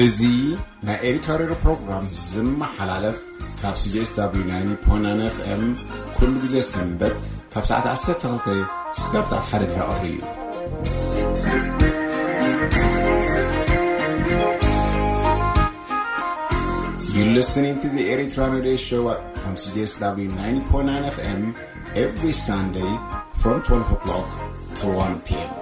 እዚ ናይ ኤሪትራ ሬድዮ ፕሮግራም ዝመሓላለፍ ካብ C J S W ninety point nine F M ኩሉ ግዜ ሰንበት ካብ ሰዓት ዓሰርተ ክልተ ስጋብ ሰዓት ሓደ ድሕሪ ቀትሪ እዩ። You're listening to the Eritrean Radio Show from C J S W ninety point nine F M every Sunday from twelve o'clock to one p.m.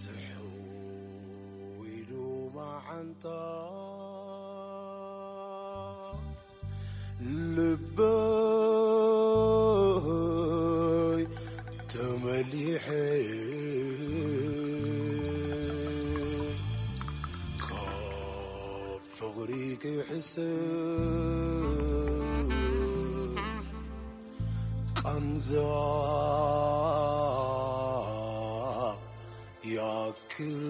ዝሕው ኢሉ መዓንጣ ልበይ ተመሊሐ ካብ ፍቕሪ ክሕሰብ ቃንዛ ያክል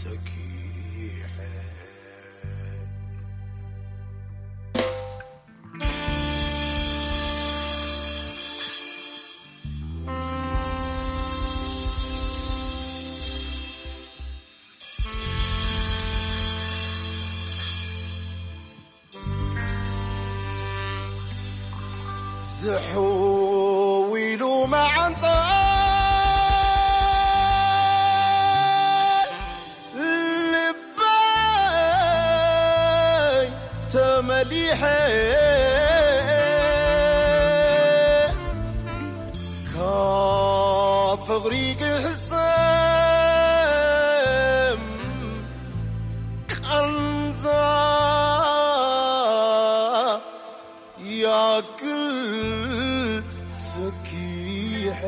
ሰኪሐ። ዝሕው ኢሉ መዓንጣ ልበይ ተመሊሐ ካብ ፍቕሪ ክሕሰም ቃንዛ ያክል ሰኪሐ።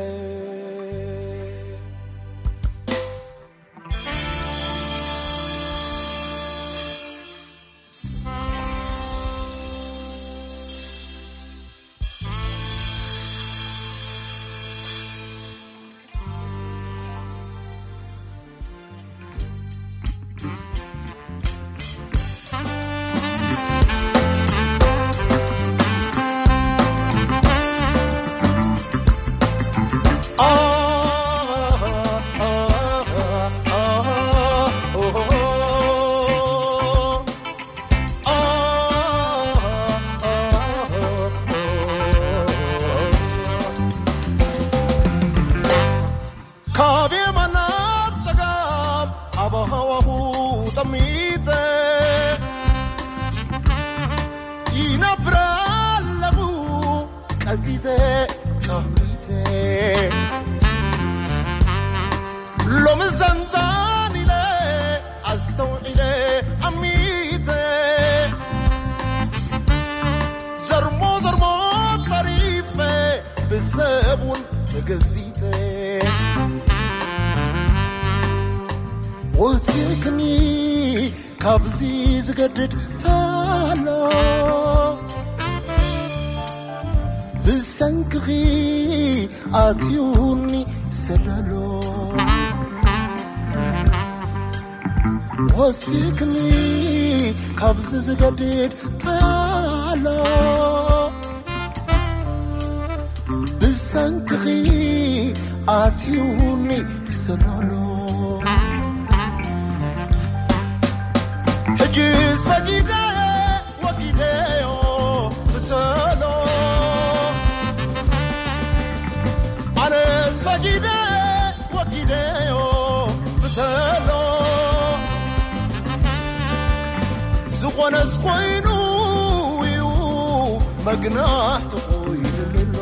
ካብ የማን ናብ ጸጋም ኣብ ሃዋሁ ጠሚተ ይነብር ኣለኹ ቀዚዘ ቀሚተ። ሎሚ ዘንዛን ኢለ ኣስተውዒለ ኣሚተ። ዘርሞ ዘርሞ ጠሪፈ ብሰብ እውን ተገዚተ። ወሲኽኒ ካብዚ ዝገድድ ታሎ ብሰንክኺ ኣትዩኒ ሰለሎ። ወሲኽኒ ካብዚ ዝገድድ ታሎ ብሰንክኺ ኣትዩኒ ሰለሎ። ፈጊደ ወጊደዮ ብተሎ ኣነስ ፈጊደ ወጊደዮ ብተሎ ዝኾነስ ኮይኑ እዩ መግናሕቲ ኮይኑሎ።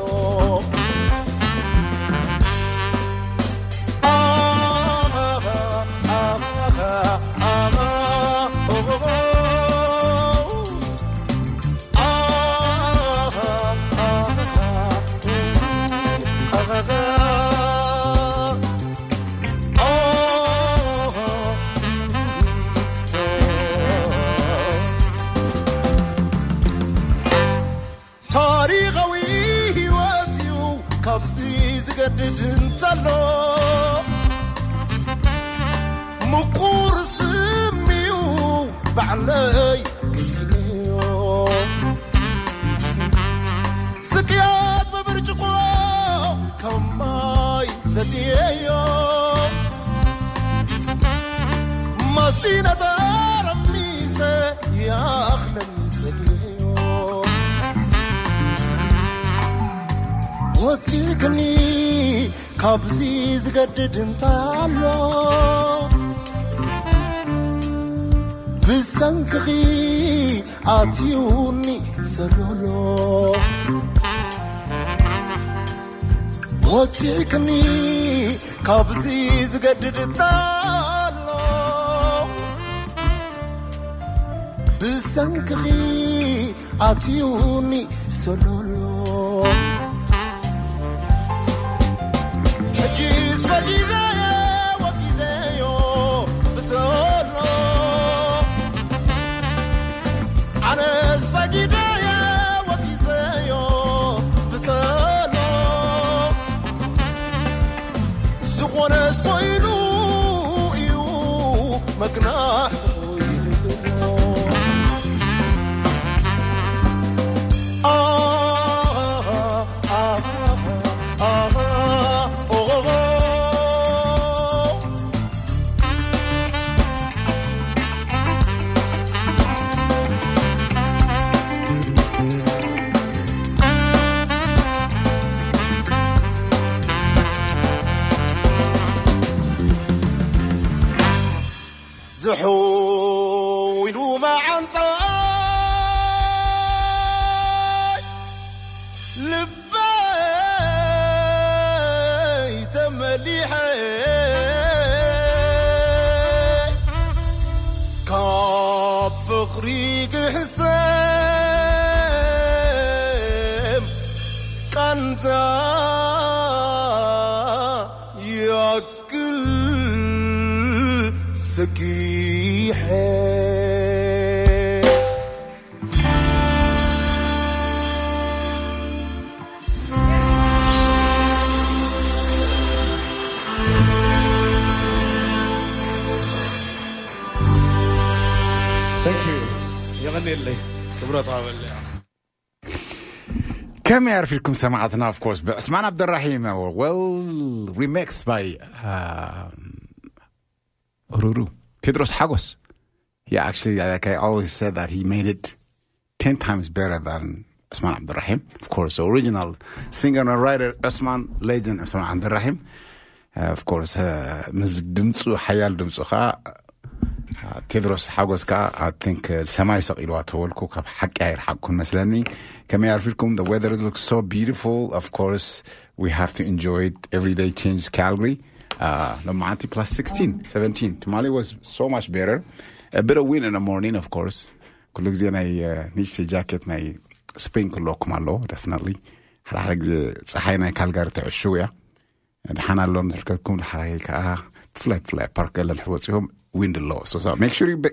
ታሪኻዊ ህይወት እዩ ካብዚ ዝገድድ እንተሎ ምቁር ስም እዩ ባዕለይ ግዜዮ ስቅያት ብብርጭቆ ከማይ ሰትየዮ ማሲነ ጠረሚሰ ይኣኽለኒ ሰትየዮ ወፂእክኒ ካብዚ ዝገድድ እንታሎ ብሰንክኺ ኣትዩኒ ሰሎሎ ወፂእክኒ ካብዚ ዝገድድ እንታሎ ብሰንክኺ ኣትዩኒ ሰሎሎ ሕጂስ ፈጊደዮ ወጊደዮ ብተሎ ኣነስ ፈጊደዮ ወጊዘዮ ብተሎ ዝኾነስ ኮይኑ እዩ መግናሕቲ ዝሕው ኢሉ መዓንጣይ ልበይ ተመሊሐ ካብ ፍቕሪ ግሕሰም ቃንዛ ክል ሰኪሐ የቐኔለይ ክብረት ኣበለያ ከመይ ኣርፊድኩም ሰማዕትና? Of course ብዕስማን ኣብደራሂም well remix by ሩሩ ቴድሮስ ሓጎስ. Yeah, actually, like I always said that he made it ten times better than Usman Abdurrahim. Of course, the original singer and writer Usman, legend Usman Abdurrahim. Uh, of course, uh, ምስ ድምፁ ሓያል ድምፁ ከዓ ቴድሮስ ሓጎስ ከዓ I think ሰማይ ሰቂልዋ ተበልኩ ካብ ሓቂ ኣይርሓቅኩን መስለኒ ከመይ ኣርፊድኩም the weather looks so beautiful of course we have to enjoy it every day change Calgary uh, ሎማዓንቲ plus sixteen seventeen ትማሊ was so much better a bit of wind in the morning of course ኩሉ ግዜ ናይ ንእሽተይ ጃኬት ናይ ስፕሪንግ ክህልወኩም ኣለዎ definitely ሓደ ሓደ ግዜ ፀሓይ ናይ ካልጋሪ ትዕሽው እያ ድሓን ኣሎ ንሕልከኩም ድሓራይ ከዓ ብፍላይ ብፍላይ ፓርክ ገለ ንሕር ወፂኹም wind ኣለዎ so make sure you be,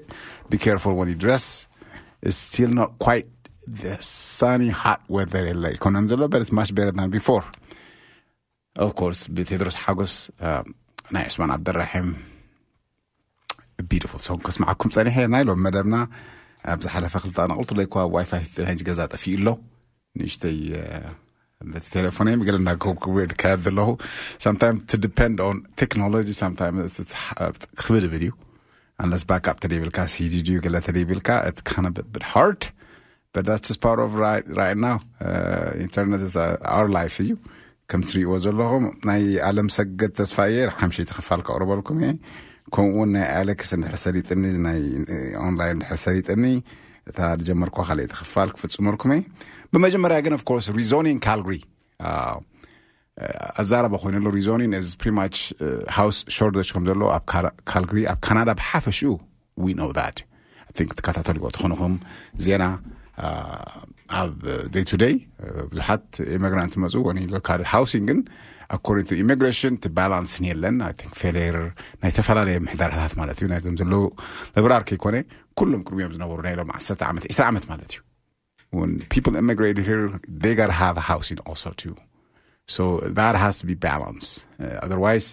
be careful when you dress it's still not quite the sunny hot weather የለ ኣይኮነን ዘሎ but it's much better than before of course ብቴድሮስ ሓጎስ ናይ ዑስማን ዓብደራሒም beautiful song ከስማዓኩም ፀኒሐ ናይ ሎም መደብና ኣብ ዝሓለፈ ክልተ ኣናቕልቱ ለይኳ ዋይፋይ ናይዚ ገዛ ጠፊኡ ኣሎ ንእሽተይ በቲ ቴሌፎነይ ገለ እናገበርኩ ክካየድ ዘለኹ sometimes to depend on technology sometimes ክብድብል እዩ Unless backup ተደይብልካ፣ ሲዲ ድዩ ገለ ተደይብልካ፣ it's kind of a bit hard. But that's just part of right, right now. Uh, internet is uh, our life እዩ። ከም ትሪእዎ ዘለኹም፣ ናይ ኣለም ሰገድ ተስፋየ ሓምሸይቲ ክፋል ከቕርበልኩም እየ። ከምኡ እውን ናይ ኣሌክስ እንድሕር ሰሊጥኒ፣ ናይ ኦንላይን እንድሕር ሰሊጥኒ፣ እታ ዝጀመርኳ ካልኣይቲ ክፋል ክፍጽመልኩም እየ። ብመጀመርያ ግን፣ of course, rezoning Calgary ኣዛረባ ኮይኑ ኣሎ። Rezoning is pretty much house shortage ከም ዘሎ ኣብ ካልግሪ፣ ኣብ ካናዳ ብሓፈሽኡ። We know that. I think ትከታተልዎ ትኾንኹም ዜና ኣብ day to day ብዙሓት ኢሚግራንት መፁ ወኒ local housing ግን according to immigration እቲ balance የለን። I think failure ናይ ዝተፈላለዩ ምሕደራታት ማለት እዩ። ናይዞም ዘለዉ ምብራር ከይኮነ ኩሎም ቅድሚኦም ዝነበሩ ናይ ሎም ዓሰርተ ዓመት፣ ዕስራ ዓመት ማለት እዩ። When people immigrated here, they got to have housing also too. So that has to be balanced. Uh, otherwise,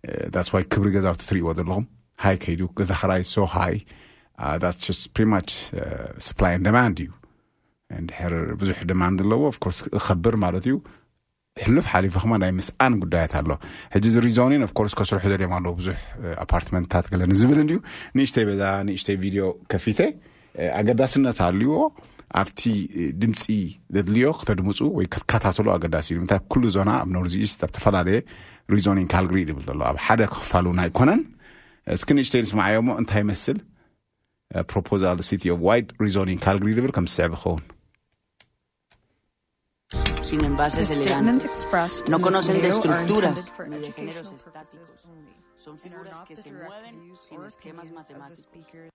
uh, that's why ክብሪ ገዛውቲ ትሪእዎ ዘለኹም ሃይ ከይዱ፣ ገዛ ክራይ so high. Uh, that's just pretty much uh, supply and demand እዩ። እንድሕር ብዙሕ demand ኣለዎ፣ of course ክኸብር ማለት እዩ። ሕሉፍ ሓሊፉ ከማ ናይ ምስኣን ጉዳያት ኣሎ። ሕጂ እዚ rezoning of course ከስርሑ ደልዮም ኣለዉ፣ ብዙሕ ኣፓርትመንትታት ገለ ንዝብል እንድዩ። ንእሽተይ በዛ ንእሽተይ ቪድዮ ከፊተ፣ ኣገዳስነት ኣልዎ። ኣብቲ ድምፂ ዘድልዮ ክተድምፁ ወይ ክትከታተሉ ኣገዳሲ እዩ። ምንታይ ኩሉ ዞና ኣብ ኖርዝ ኢስት ኣብ ተፈላለየ rezoning Calgary ዝብል ዘሎ ኣብ ሓደ ክፋሉ ኣይኮነን። እስኪ ንእሽተይ ንስማዓዮ እሞ እንታይ ይመስል? Proposal City of Wide Rezoning Calgary ዝብል ከም ዝስዕብ ይኸውን። Sin envases elegantes. No conocen de estructuras ni de géneros estáticos. Son figuras que se mueven sin esquemas matemáticos.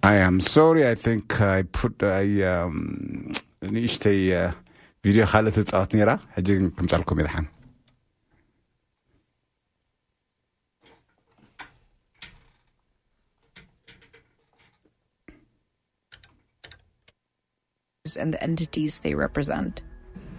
I am sorry, I think I put I um ንእሽተይ ቪድዮ ካልእ ትፃወት ነይራ። ሕጂ ግን ክምፃልኩም ይድሓን። And the entities they represent.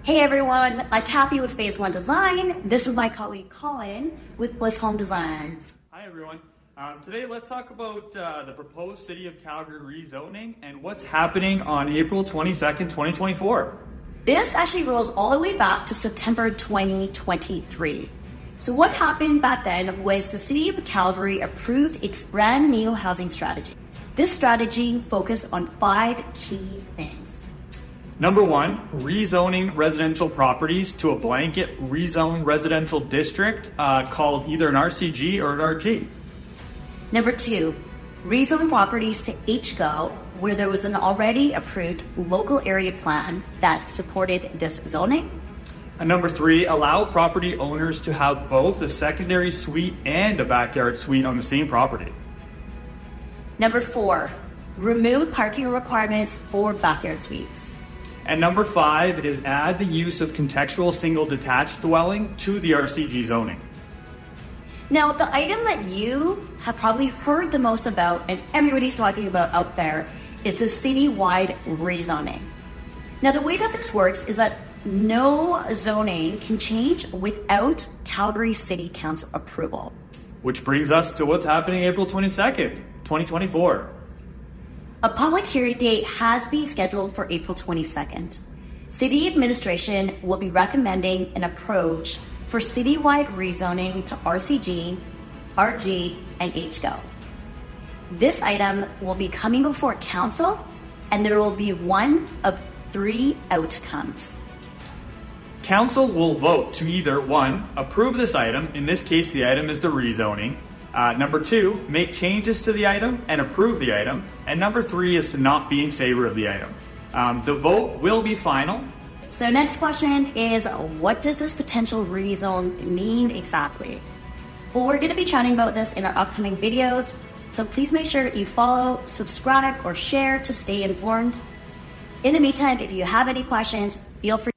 Hey everyone, I'm Kathy with Phase One Design. This is my colleague Colin with Bliss Home Designs. Hi everyone. Um, today, let's talk about uh, the proposed City of Calgary rezoning and what's happening on April twenty-second, twenty twenty-four. This actually rolls all the way back to September twenty twenty-three. So, what happened back then was the City of Calgary approved its brand new housing strategy. This strategy focused on five key things. Number one, rezoning residential properties to a blanket rezoned residential district uh, called either an R C G or an R G. Number two, rezone properties to H go where there was an already approved local area plan that supported this zoning. And number three, allow property owners to have both a secondary suite and a backyard suite on the same property. Number four, remove parking requirements for backyard suites. And number five is add the use of contextual single detached dwelling to the R C G zoning. Now, the item that you have probably heard the most about and everybody's talking about out there is the citywide rezoning. Now, the way that this works is that no zoning can change without Calgary City Council approval. Which brings us to what's happening April twenty-second, twenty twenty-four. A public hearing date has been scheduled for April twenty-second. City administration will be recommending an approach for citywide rezoning to R C G, R G, and H go. This item will be coming before council, and there will be one of three outcomes. Council will vote to either one, approve this item, in this case the item is the rezoning, uh, number two, make changes to the item and approve the item, and number three is to not be in favor of the item. Um, the vote will be final. So, next question is, what does this potential rezone mean exactly? Well, we're going to be chatting about this in our upcoming videos, so please make sure that you follow, subscribe, or share to stay informed. In the meantime, if you have any questions, feel free.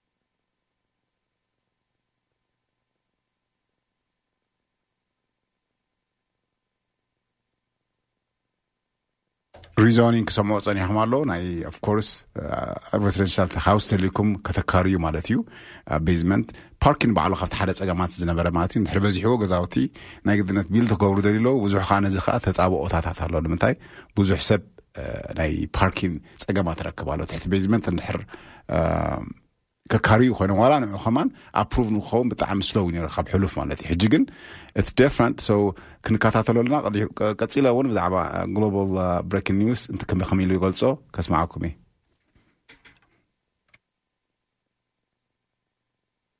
Rezoning ክሰምዑ ጸኒሖም ኣለዉ። ናይ of course residential house ተልይኩም ከተካርዩ ማለት እዩ። Basement parking ባዕሉ ካብቲ ሓደ ጸገማት ዝነበረ ማለት እዩ። እንድሕር በዚሕዎ ገዛውቲ ናይ ግድነት build ክገብሩ ደልዩ ኣለዉ። ብዙሕ ከዓ ነዚ ከዓ ተጻብኦታታት ኣሎ። ንምንታይ ብዙሕ ሰብ ናይ parking ጸገማት ይረክብ ኣሎ። ትሕቲ basement እንድሕር ከካርዩ ኮይኖም ዋላ ንዑ ከማን ኣፕሩቭ ንክኸውን ብጣዕሚ ስሎው ነይሩ ካብ ሕሉፍ ማለት እዩ። ሕጂ ግን it's different። So ክንከታተሎ ኣለና። ቀዲሑ- ቀ- ቀፂለ እውን ብዛዕባ ግሎባል ብሬኪንግ ኒውስ እንት ከመይ ከመይ ኢሉ ይገልፆ ከስማዓኩም እየ።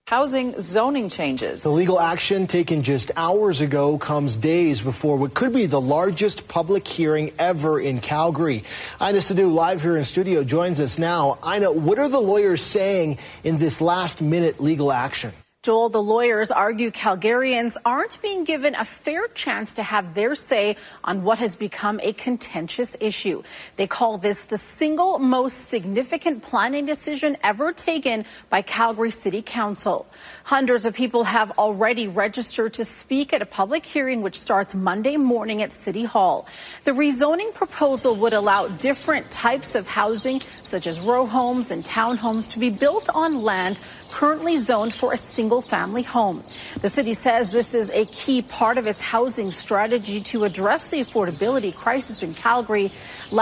Housing zoning changes. The legal action taken just hours ago comes days before what could be the largest public hearing ever in Calgary. Ina Sadu, live here in studio, joins us now. Ina, what are the lawyers saying in this last minute legal action? Joel, the lawyers argue Calgarians aren't being given a fair chance to have their say on what has become a contentious issue. They call this the single most significant planning decision ever taken by Calgary City Council. Hundreds of people have already registered to speak at a public hearing which starts Monday morning at City Hall. The rezoning proposal would allow different types of housing, such as row homes and townhomes, to be built on land currently zoned for a single family home. The city says this is a key part of its housing strategy to address the affordability crisis in Calgary.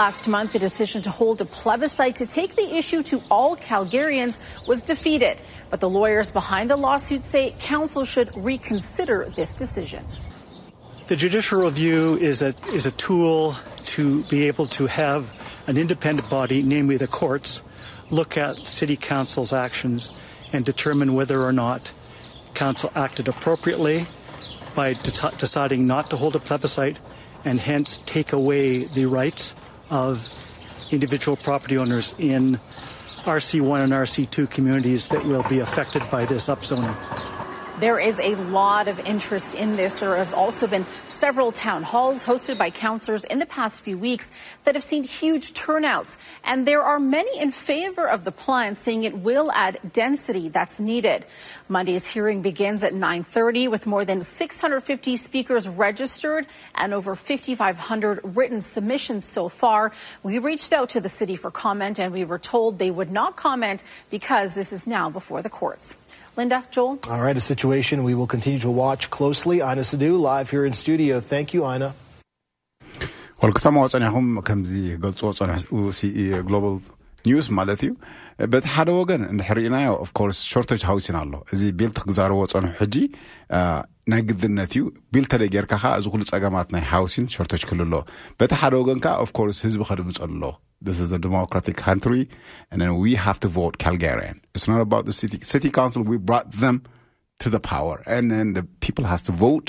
Last month, the decision to hold a plebiscite to take the issue to all Calgarians was defeated. But the lawyers behind the lawsuit say council should reconsider this decision. The judicial review is a, is a tool to be able to have an independent body, namely the courts, look at city council's actions and determine whether or not council acted appropriately by deci- deciding not to hold a plebiscite and hence take away the rights of individual property owners in R C one and R C two communities that will be affected by this upzoning. There is a lot of interest in this. There have also been several town halls hosted by councilors in the past few weeks that have seen huge turnouts. And there are many in favor of the plan, saying it will add density that's needed. Monday's hearing begins at nine thirty, with more than six hundred fifty speakers registered and over fifty-five hundred written submissions so far. We reached out to the city for comment, and we were told they would not comment because this is now before the courts. Linda, Joel? All right, a situation we will continue to watch closely. Ina Sadu, live here in studio. Thank you, Ina. ወል ክሰማዎ ጸኒሕኩም ከምዚ ገልጽዎ ጸንሑ ግሎባል ኒውስ ማለት እዩ። በቲ ሓደ ወገን እንድሕር ርኢናዮ ኦፍኮርስ ሾርቶጅ ሃውሲን ኣሎ። እዚ ቢልት ክዛረቦ ጸንሑ ሕጂ ናይ ግድነት እዩ። ቢልት ተደይ ጌርካ ከዓ እዚ ኩሉ ጸገማት ናይ ሃውሲን ሾርቶጅ ክልሎ። በቲ ሓደ ወገን ከዓ ኦፍኮርስ ህዝቢ ከድምጸ ኣሎ። This is a democratic country, and then we have to vote Calgarian. It's not about the city. City council, we brought them to the power, and then the people has to vote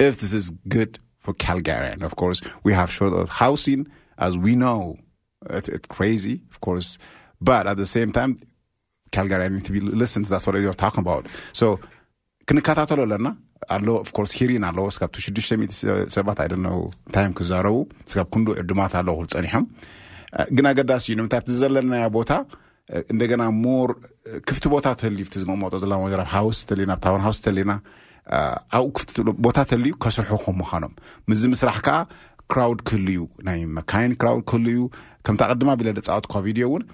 if this is good for Calgarian. Of course, we have short of housing, as we know. It's, it's crazy, of course, but at the same time, Calgarian need to be listened. That's what you're talking about. So ክንከታተሎ ኣለና ኣሎ። Of course hearing ኣለዎ። ስጋብ ሽዱሽተ ሚእቲ ሰባት I don't know time ክዛረቡ ስጋብ ክንዱ ዕዱማት ኣለዎ ክሉ ጸኒሖም። ግን ኣገዳሲ እዩ ንምንታይ ኣብቲ ዘለናዮ ቦታ እንደገና ሞር ክፍቲ ቦታ ተልዩ ዝመመጦ ዘለና ወዘራብ ሃውስ ተልና ታውን ሃውስ ተልና ኣብኡ ክፍቲ ቦታ ተልዩ ከስርሑ ከም ምዃኖም ምስዚ ምስራሕ ከዓ ክራውድ ክህሉ እዩ። ናይ መካይን ክራውድ ክህሉ እዩ። ከምታ ቅድማ ቢለ ደፃወት ኮቪድ እውን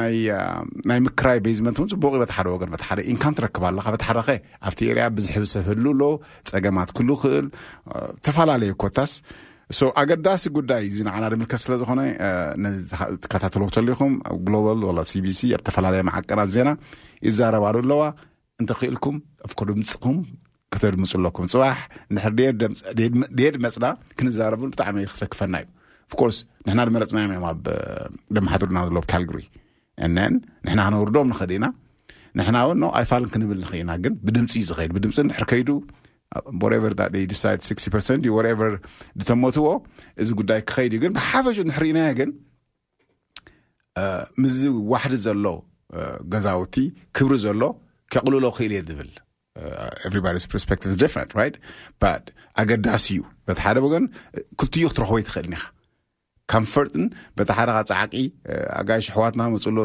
ናይ ምክራይ ቤዝመንት እውን ፅቡቅ እዩ። በቲ ሓደ ወገን በቲ ሓደ ኢንካም ትረክብ ኣለካ። በቲ ሓደ ከ ኣብቲ ኤርያ ብዝሕብ ሰብ ህሉ ኣሎ። ፀገማት ክሉ ክእል ተፈላለየ ኮታስ ሶ ኣገዳሲ ጉዳይ እዚ ንዓና ድምልከት ስለ ዝኾነ ትከታተሎ ተሊኹም ኣብ ግሎባል ወላ ሲቢሲ ኣብ ተፈላለየ መዓቀናት ዜና ይዛረባሉ ኣለዋ። እንተኽኢልኩም ኣፍኮ ድምፅኹም ከተድምፁ ኣለኩም። ፅባሕ እንድሕር ደየድ መፅና ክንዛረብን ብጣዕሚ ክሰክፈና እዩ። ኦፍኮርስ ንሕና ድመረፅናዮም እዮም ኣብ ደመሓድሩና ዘሎ ካልግሪ እነን ንሕና ክነውርዶም ንኽእል ኢና። ንሕና እውን ኖ ኣይፋልን ክንብል ንኽእል ኢና። ግን ብድምፂ እዩ ዝኸይድ። ብድምፂ እንድሕር ከይዱ whatever that they decide sixty percent whatever ድተመትዎ እዚ ጉዳይ ክኸይድ እዩ። ግን ብሓፈሹ እንድሕር ኢናዮ ግን ምዚ ዋሕዲ ዘሎ ገዛውቲ ክብሪ ዘሎ ከቕልሎ ክእል እየ ዝብል everybody's perspective is different, right? But ኣገዳሲ እዩ። በቲ ሓደ ወገን ክልትዮ ክትረኽቦ ይትኽእል ኢኻ። ካምፈርትን በቲ ሓደ ካ ፃዕቂ ኣጋይሽ ኣሕዋትና መፅሎ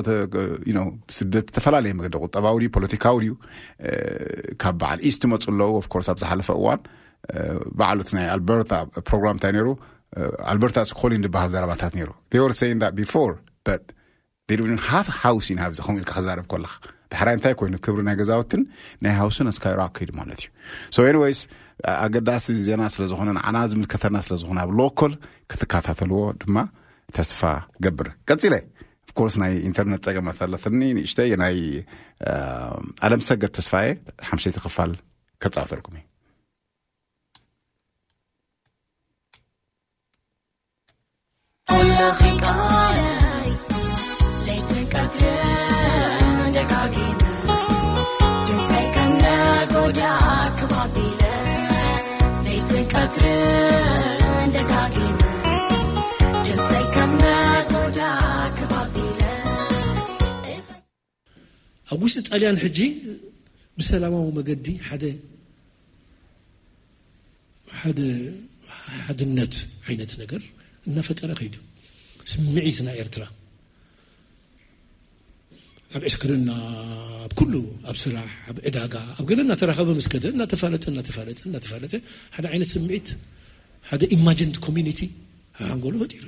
ስደት ዝተፈላለየ መገዲ ቁጠባዊ ድዩ ፖለቲካዊ ድዩ ካብ በዓል ኢስት መፁ ኣለዉ። Of course ኣብ ዝሓለፈ እዋን በዓሉት ናይ ኣልበርታ ፕሮግራም እንታይ ነይሩ? ኣልበርታ ስኮሊን ዝበሃል ዘረባታት ነይሩ። They were saying that before, but they don't have housing ኣብዚ ከምኡ ኢልካ ክዛረብ ከለኻ ዳሕራይ እንታይ ኮይኑ ክብሪ ናይ ገዛውትን ናይ ሃውስን ኣስካይሮ ኣከይዱ ማለት እዩ። So anyways ኣገዳሲ ዜና ስለ ዝኾነ ንዓና ዝምልከተና ስለ ዝኾነ ኣብ ሎኮል ክትከታተልዎ ድማ ተስፋ ገብር። ቀፂለ ኮርስ ናይ ኢንተርነት ጸገማት ኣለትኒ ንእሽተይ። ናይ ኣለም ሰገድ ተስፋዬ ሓምሸይቲ ክፋል ከጻወተልኩም እዩ። ኩልኺ ቃለይ ለይትን ቀትርን ደጋጊመ ድምፀይ ከም ነጎዳ ክባቢለ ለይትን ቀትርን ደጋጊመ ድምፀይ ከም ነጎዳ ክባቢለ ኣብ ውሽጢ ጣልያን ሕጂ ብሰላማዊ መገዲ ሓደ ሓደ ሓድነት ዓይነት ነገር እናፈጠረ ከይዱ። ስምዒት ናይ ኤርትራ ኣብ ዕስክርና፣ ኣብ ኩሉ፣ ኣብ ስራሕ፣ ኣብ ዕዳጋ፣ ኣብ ገለ እናተራኸበ ምስ ከደ እናተፋለጠ እናተፋለጠ እናተፋለጠ ሓደ ዓይነት ስምዒት፣ ሓደ ኢማጂንድ ኮሚኒቲ ሓንጎሉ ፈጢሩ።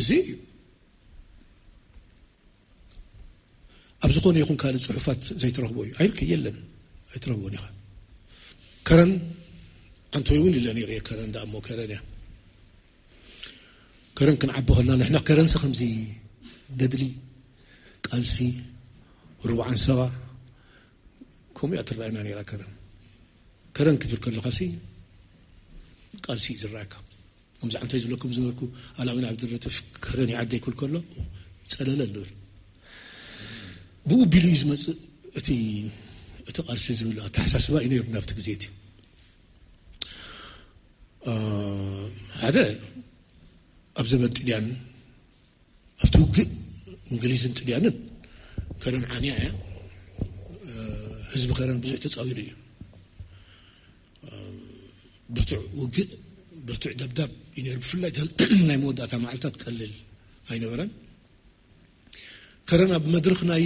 እዚ ኣብ ዝኾነ ይኹን ካልእ ጽሑፋት ዘይትረኽቦ እዩ። ኣይርከ የለን ኣይትረኽቦን ኢኻ። ከረን ኣንቶይ እውን ኢለ ነይረ። ከረን ደኣ እሞ ከረን እያ። ከረን ክንዓቢ ከለና ንሕና ከረንሲ ከምዚ ገድሊ፣ ቃልሲ፣ ርብዓን ሰባ ከምኡ እያ ትረኣየና ነይራ። ከረን ከረን ክትብል ከለኻሲ ቃልሲ እዩ ዝረኣየካ። ከምዚ ዓንታይ ዝብለኩም ዝነበርኩ ኣላዊን ዓብደረጥፍ ከረን ይዓደይ ክብል ከሎ ጸለለ ንብል። ብኡ ቢሉ እዩ ዝመጽእ እቲ እቲ ቃልሲ ዝብል ኣተሓሳስባ እዩ ነይሩ ናብቲ ግዜ እቲ። ሓደ ኣብ ዘመን ጥልያን ኣብቲ ውግእ እንግሊዝን ጥልያንን ከረን ዓንያ እያ። ህዝቢ ከረን ብዙሕ ተጻዊሩ እዩ። ብርቱዕ ውግእ፣ ብርቱዕ ደብዳብ እዩ ነይሩ። ብፍላይ እተን ናይ መወዳእታ መዓልታት ቀልል ኣይነበረን። ከረን ኣብ መድረኽ ናይ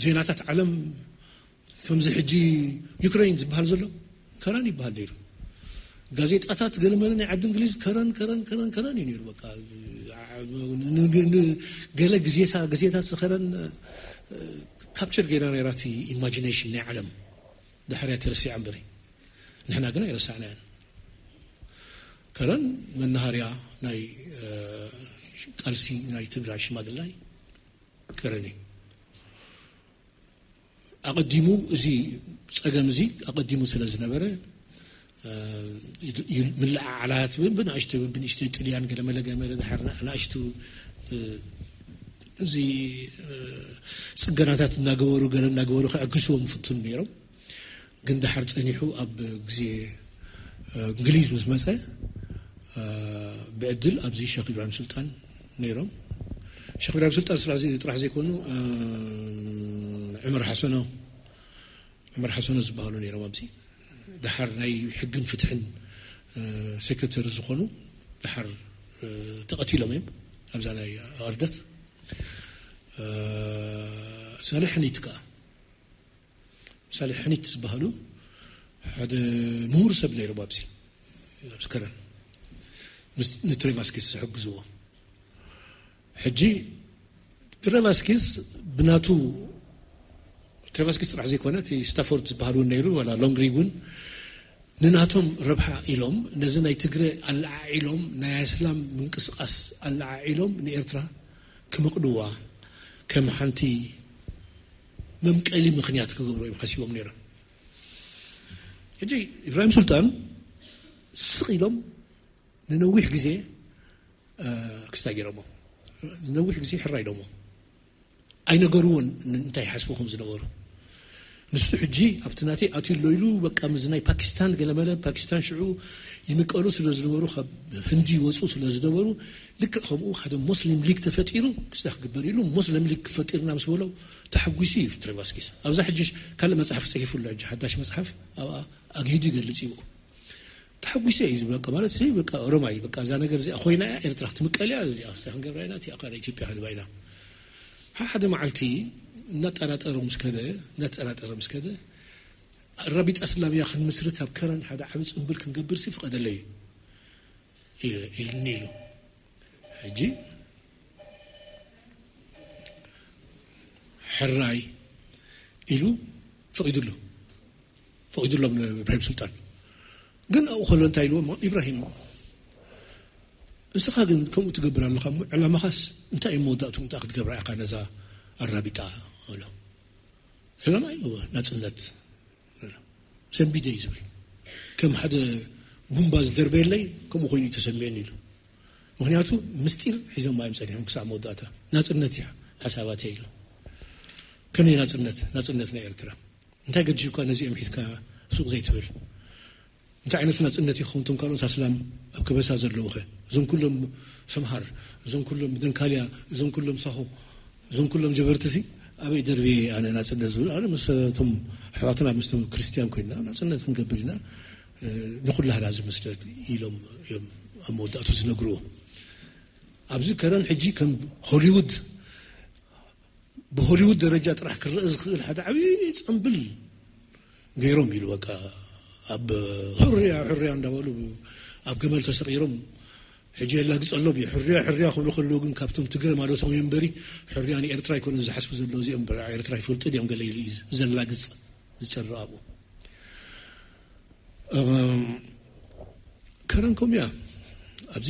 ዜናታት ዓለም ከምዚ ሕጂ ዩክሬን ዝበሃል ዘሎ ከረን ይበሃል ነይሩ። ጋዜጣታት ገለመለ ናይ ዓዲ እንግሊዝ ከረን ከረን ከረን ከረን እዩ ነይሩ። በቃ ገለ ግዜታ ግዜታት ዝኸረን ካፕቸር ገይራ ነይራ እቲ ኢማጂኔሽን ናይ ዓለም። ድሕርያ ተረሲዓ እምበሪ ንሕና ግን ኣይረሳዕናያን። ከረን መናሃርያ ናይ ቃልሲ ናይ ትግራይ ሽማግላይ ከረን እዩ። ኣቐዲሙ እዚ ጸገም እዚ ኣቐዲሙ ስለ ዝነበረ ምልዓዓላት ብንኣሽተ ብንእሽተ ጥልያን ገለመለ ገመለ ድሓር ንኣሽቱ እዚ ጽገናታት እናገበሩ ገለ እናገበሩ ክዕግስዎም ፍቱን ነይሮም። ግን ድሓር ጸኒሑ ኣብ ግዜ እንግሊዝ ምስ መጸ ብዕድል ኣብዚ ሸክ ኢብራሂም ሱልጣን ነይሮም። ሸክ ኢብራሂም ሱልጣን ጥራሕ ዘይኮኑ ዕመር ሓሰኖ ዕመር ሓሰኖ ዝበሃሉ ነይሮም። ኣብዚ ድሓር ናይ ሕግን ፍትሕን ሴክሬተሪ ዝኾኑ ድሓር ተቐቲሎም እዮም ኣብዛ ናይ ኣርደት። ሳልሕ ሕኒት ከዓ ሳልሕ ሕኒት ዝበሃሉ ሓደ ምሁር ሰብ ነይሮም ኣብዚ ኣብዚ ከረን ንትሬቫስኪስ ዝሕግዝዎ። ሕጂ ትሬቫስኪስ ብናቱ ትሬቫስኪስ ጥራሕ ዘይኮነ እቲ ስታፎርድ ዝበሃል እውን ነይሩ ዋላ ሎንግሪግ እውን ንናቶም ረብሓ ኢሎም ነዚ ናይ ትግረ ኣለዓዒሎም ናይ ኣስላም ምንቅስቃስ ኣለዓዒሎም ንኤርትራ ክመቕድዋ ከም ሓንቲ መምቀሊ ምኽንያት ክገብሩ እዮም ሓሲቦም ነይሮም። ሕጂ ኢብራሂም ሱልጣን ስቕ ኢሎም ንነዊሕ ግዜ ክስታይ ገይሮሞ ንነዊሕ ግዜ ሕራ ኢሎሞ ኣይነገርዎን እንታይ ሓስቡ ከም ዝነበሩ። ንሱ ሕጂ ኣብቲ ናተይ ኣትዩ ኣሎ ኢሉ በቃ ምስ ናይ ፓኪስታን ገለመለ ፓኪስታን ሽዑ ይምቀሉ ስለ ዝነበሩ ካብ ህንዲ ይወፁ ስለ ዝነበሩ ልክዕ ከምኡ ሓደ ሞስሊም ሊግ ተፈጢሩ ክስታ ክግበር ኢሉ ሞስሊም ሊግ ፈጢርና ምስ በሎ ተሓጒሱ እዩ ትሬቫስኪስ። ኣብዛ ሕጂ ካልእ መፅሓፍ ፅሒፉ ኣሎ። ሕጂ ሓዳሽ መፅሓፍ ኣብኣ ኣግሂዱ ይገልፅ እዩ። ተሓጒሰ እዩ ዝብል በቃ ማለት ሲ በቃ ኦሮማይ በቃ እዛ ነገር እዚኣ ኮይና እያ ኤርትራ ክትምቀል እያ እዚኣ ክስታ ክንገብራ ኢና እቲኣ ከዓ ናይ ኢትዮጵያ ክንባ ኢና። ሓደ መዓልቲ እናጠራጠረ ምስ ከደ እናጠራጠረ ምስ ከደ ኣራቢጣ እስላምያ ክንምስርት ኣብ ከረን ሓደ ዓቢ ጽምብል ክንገብር ሲ ፍቐደለይ ኢልኒ ኢሉ ሕጂ ሕራይ ኢሉ ፈቒዱሉ ፈቒዱሎም ንእብራሂም ሱልጣን። ግን ኣብኡ ከሎ እንታይ ኢልዎ ኢብራሂም እስኻ ግን ከምኡ ትገብር ኣለኻ እሞ፣ ዕላማኻስ እንታይ እዩ? መወዳእቱ እንታይ ክትገብራ ኢኻ ነዛ ኣራቢጣ? ኣሎ ዕላማ እዩ ናጽነት። ሰንቢደ እዩ ዝብል። ከም ሓደ ቡምባ ዝደርበየለይ ከምኡ ኮይኑ እዩ ተሰሚዑኒ ኢሉ። ምኽንያቱ ምስጢር ሒዞም እዮም ጸኒሖም ክሳዕ መወዳእታ። ናጽነት እዩ ሓሳባተይ ኢሉ። ከመይ ናጽነት? ናጽነት ናይ ኤርትራ። እንታይ ገዲሹካ ነዚኦም ሒዝካ ሱቕ ዘይትብል? እንታይ ዓይነት ናጽነት ይኸውን? እቶም ካልኦት ኣስላም ኣብ ከበሳ ዘለዉ ኸ? እዞም ኩሎም ሰምሃር፣ እዞም ኩሎም ደንካልያ፣ እዞም ኩሎም ሳሆ፣ እዞም ኩሎም ጀበርትሲ ኣበይ ደርቢ ኣነ ናጽነት ዝብል? ኣነ ምስ እቶም ኣሕዋትና ምስቶም ክርስትያን ኮይና ናጽነት ክንገብር ኢና፣ እ፣ ንኹላህና ዝመስለት ኢሎም እዮም ኣብ መወዳእቱ ዝነግርዎ። ኣብዚ ከረን ሕጂ ከም ሆሊውድ፣ ብሆሊውድ ደረጃ ጥራሕ ክረአ ዝኽእል ሓደ ዓብዪ ጽምብል ገይሮም ኢሉ በቃ ኣብ ሕርያ ሕርያ እንዳበሉ ኣብ ገመል ተሰቒሮም ሕጂ የላግጸሎም እዩ። ሕርያ ሕርያ ክብሉ ከለዉ ግን ካብቶም ትግረ ማለቶም እዩ እምበሪ ሕርያ ንኤርትራ ኣይኮነን ዝሓስቡ ዘለዉ። እዚኦም ብዛዕባ ኤርትራ ይፈልጡ ድዮም ገለ ኢሉ እዩ ዘላግጽ ዝጨርቕ ኣብኡ። እም፣ ከረን ከምኡ እያ። ኣብዚ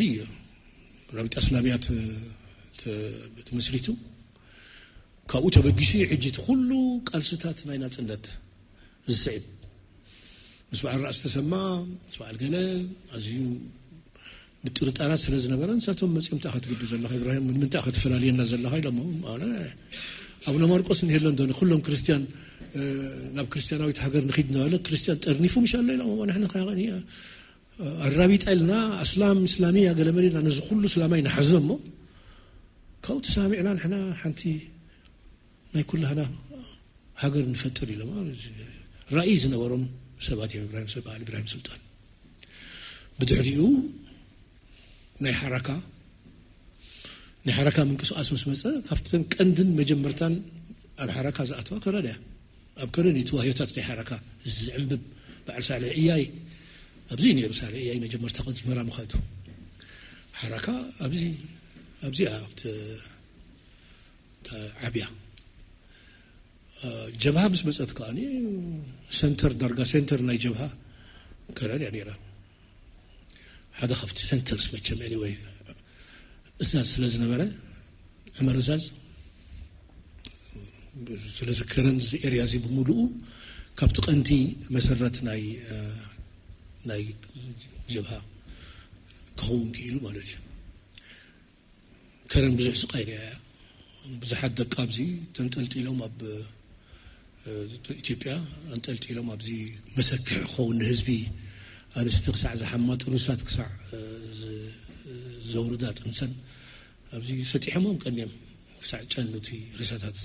ራቢጣ እስላሚያ ተ-፣ ተ-፣ ተመስሪቱ ካብኡ ተበጊሱ እዩ ሕጂ እቲ ኩሉ ቃልስታት ናይ ናጽነት ዝስዕብ። ምስ በዓል ራእሲ ተሰማ፣ ምስ በዓል ገለ ኣዝዩ ምጥርጣራት ስለ ዝነበረ ንሳቶም መጺኦም እንታይ ኢኻ ትገብር ዘለኻ ኢብራሂም፣ ንምንታይ ኢኻ ትፈላልየና ዘለኻ ኢሎሞ። ኣነ ኣቡነ ማርቆስ እንሄሎ እንዶ ኩሎም ክርስትያን፣ እ፣ ናብ ክርስትያናዊት ሃገር ንኺድ እናበለ ክርስትያን ጠርኒፉ ምሽ ኣሎ ኢሎሞ። ንሕና ከ ኣራቢጣ ኢልና ኣስላም እስላሚያ ገለ መለ ኢልና ነዚ ኩሉ እስላማይ ንሓዞ እሞ ካብኡ ተሰማሚዕና ንሕና ሓንቲ ናይ ኩላህና ሃገር ንፈጥር ኢሎም ራእይ ዝነበሮም ሰባት እዮም። ኢብራሂም፣ በዓል ኢብራሂም ሱልጣን። ብድሕሪኡ ናይ ሓራካ፣ ናይ ሓራካ ምንቅስቃስ ምስ መጸ ካብተን ቀንድን መጀመርታን ኣብ ሓራካ ዝኣተዋ ከረን እያ። ኣብ ከረን እዩ እቲ ዋህዮታት ናይ ሓራካ ዝዕንብብ። በዓል ሳልሕ እያይ ኣብዚ እዩ ነይሩ። ሳልሕ እያይ መጀመርታ ቅድሚ መራ ምኻዱ ሓራካ ኣብዚ፣ ኣብዚኣ ተ-፣ ተዓብያ። እ፣ ጀብሃ ምስ መጸት ከኣ ሰንተር፣ ዳርጋ ሰንተር ናይ ጀብሃ ከረን እያ ነይራ። ሓደ ካብቲ ሰንተርስ መቸም ኤኒወይ እዛዝ ስለ ዝነበረ፣ ዕመር እዛዝ ስለ ዝከረን እዚ ኤርያ እዚ ብምሉኡ ካብቲ ቀንዲ መሰረት ናይ፣ እ፣ ናይ ጀብሃ ክኸውን ክኢሉ ማለት እዩ። ከረን ብዙሕ ስቃይ ሪኣ እያ። ብዙሓት ደቂ ኣብዚ ተንጠልጢሎም ኣብ፣ እ፣ ኢትዮጵያ ኣንጠልጢሎም ኣብዚ መሰክሒ ክኸውን ንህዝቢ ኣንስቲ ክሳዕ ዝሓማ ጥኑሳት ክሳዕ፣ እ፣ ዝ-፣ ዘውርዳ ጥንሰን ኣብዚ ሰጢሖሞም ቀንዮም ክሳዕ ጨኑቲ ሬሳታት።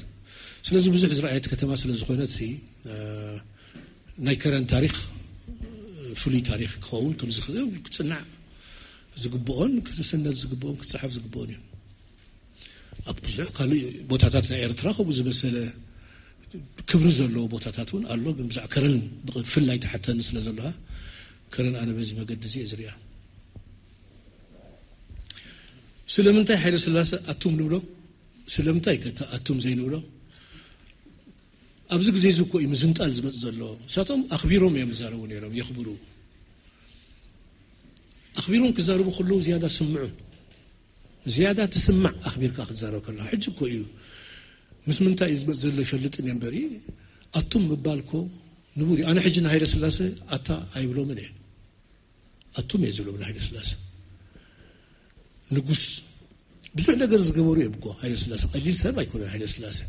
ስለዚ ብዙሕ ዝረኣየት ከተማ ስለ ዝኾነት ሲ፣ እ፣ ናይ ከረን ታሪኽ ፍሉይ ታሪኽ ክኸውን ከም ዝኽእል ክጽናዕ ዝግብኦን ክስነድ ዝግብኦን ክጽሓፍ ዝግብኦን እዩ። ኣብ ብዙሕ ካልእ ቦታታት ናይ ኤርትራ ከምኡ ዝመሰለ ክብሪ ዘለዎ ቦታታት እውን ኣሎ። ግን ብዛዕ ከረን ብፍላይ ትሓተኒ ስለ ዘለኻ ከረን ኣነ በዚ መገዲ እዚ እየ ዝሪኣ። ስለምንታይ ሓይለ ስላሰ ኣቱም ንብሎ? ስለምንታይ ከ ኣቱም ዘይንብሎ? ኣብዚ ግዜ እዚ እኮ እዩ ምዝንጣል ዝመጽእ ዘሎ። ንሳቶም ኣኽቢሮም እዮም ዝዛረቡ ነይሮም፣ የኽብሩ። ኣኽቢሮም ክዛረቡ ከለዉ ዝያዳ ስምዑ። ዝያዳ ትስማዕ ኣኽቢርካ ክትዛረብ ከለኻ። ሕጂ እኮ እዩ ምስ ምንታይ እዩ ዝመጽእ ዘሎ ይፈልጥን እየ እምበሪ፣ ኣቱም ምባል እኮ ንቡር እዩ። ኣነ ሕጂ ንሃይለ ስላሰ ኣታ ኣይብሎምን እየ። ኣቱም እየ ዝብሎም ንሃይለ ስላሰ። ንጉስ ብዙሕ ነገር ዝገበሩ እዮም እኮ ሃይለ ስላሰ። ቀሊል ሰብ ኣይኮነን ሃይለ ስላሰ።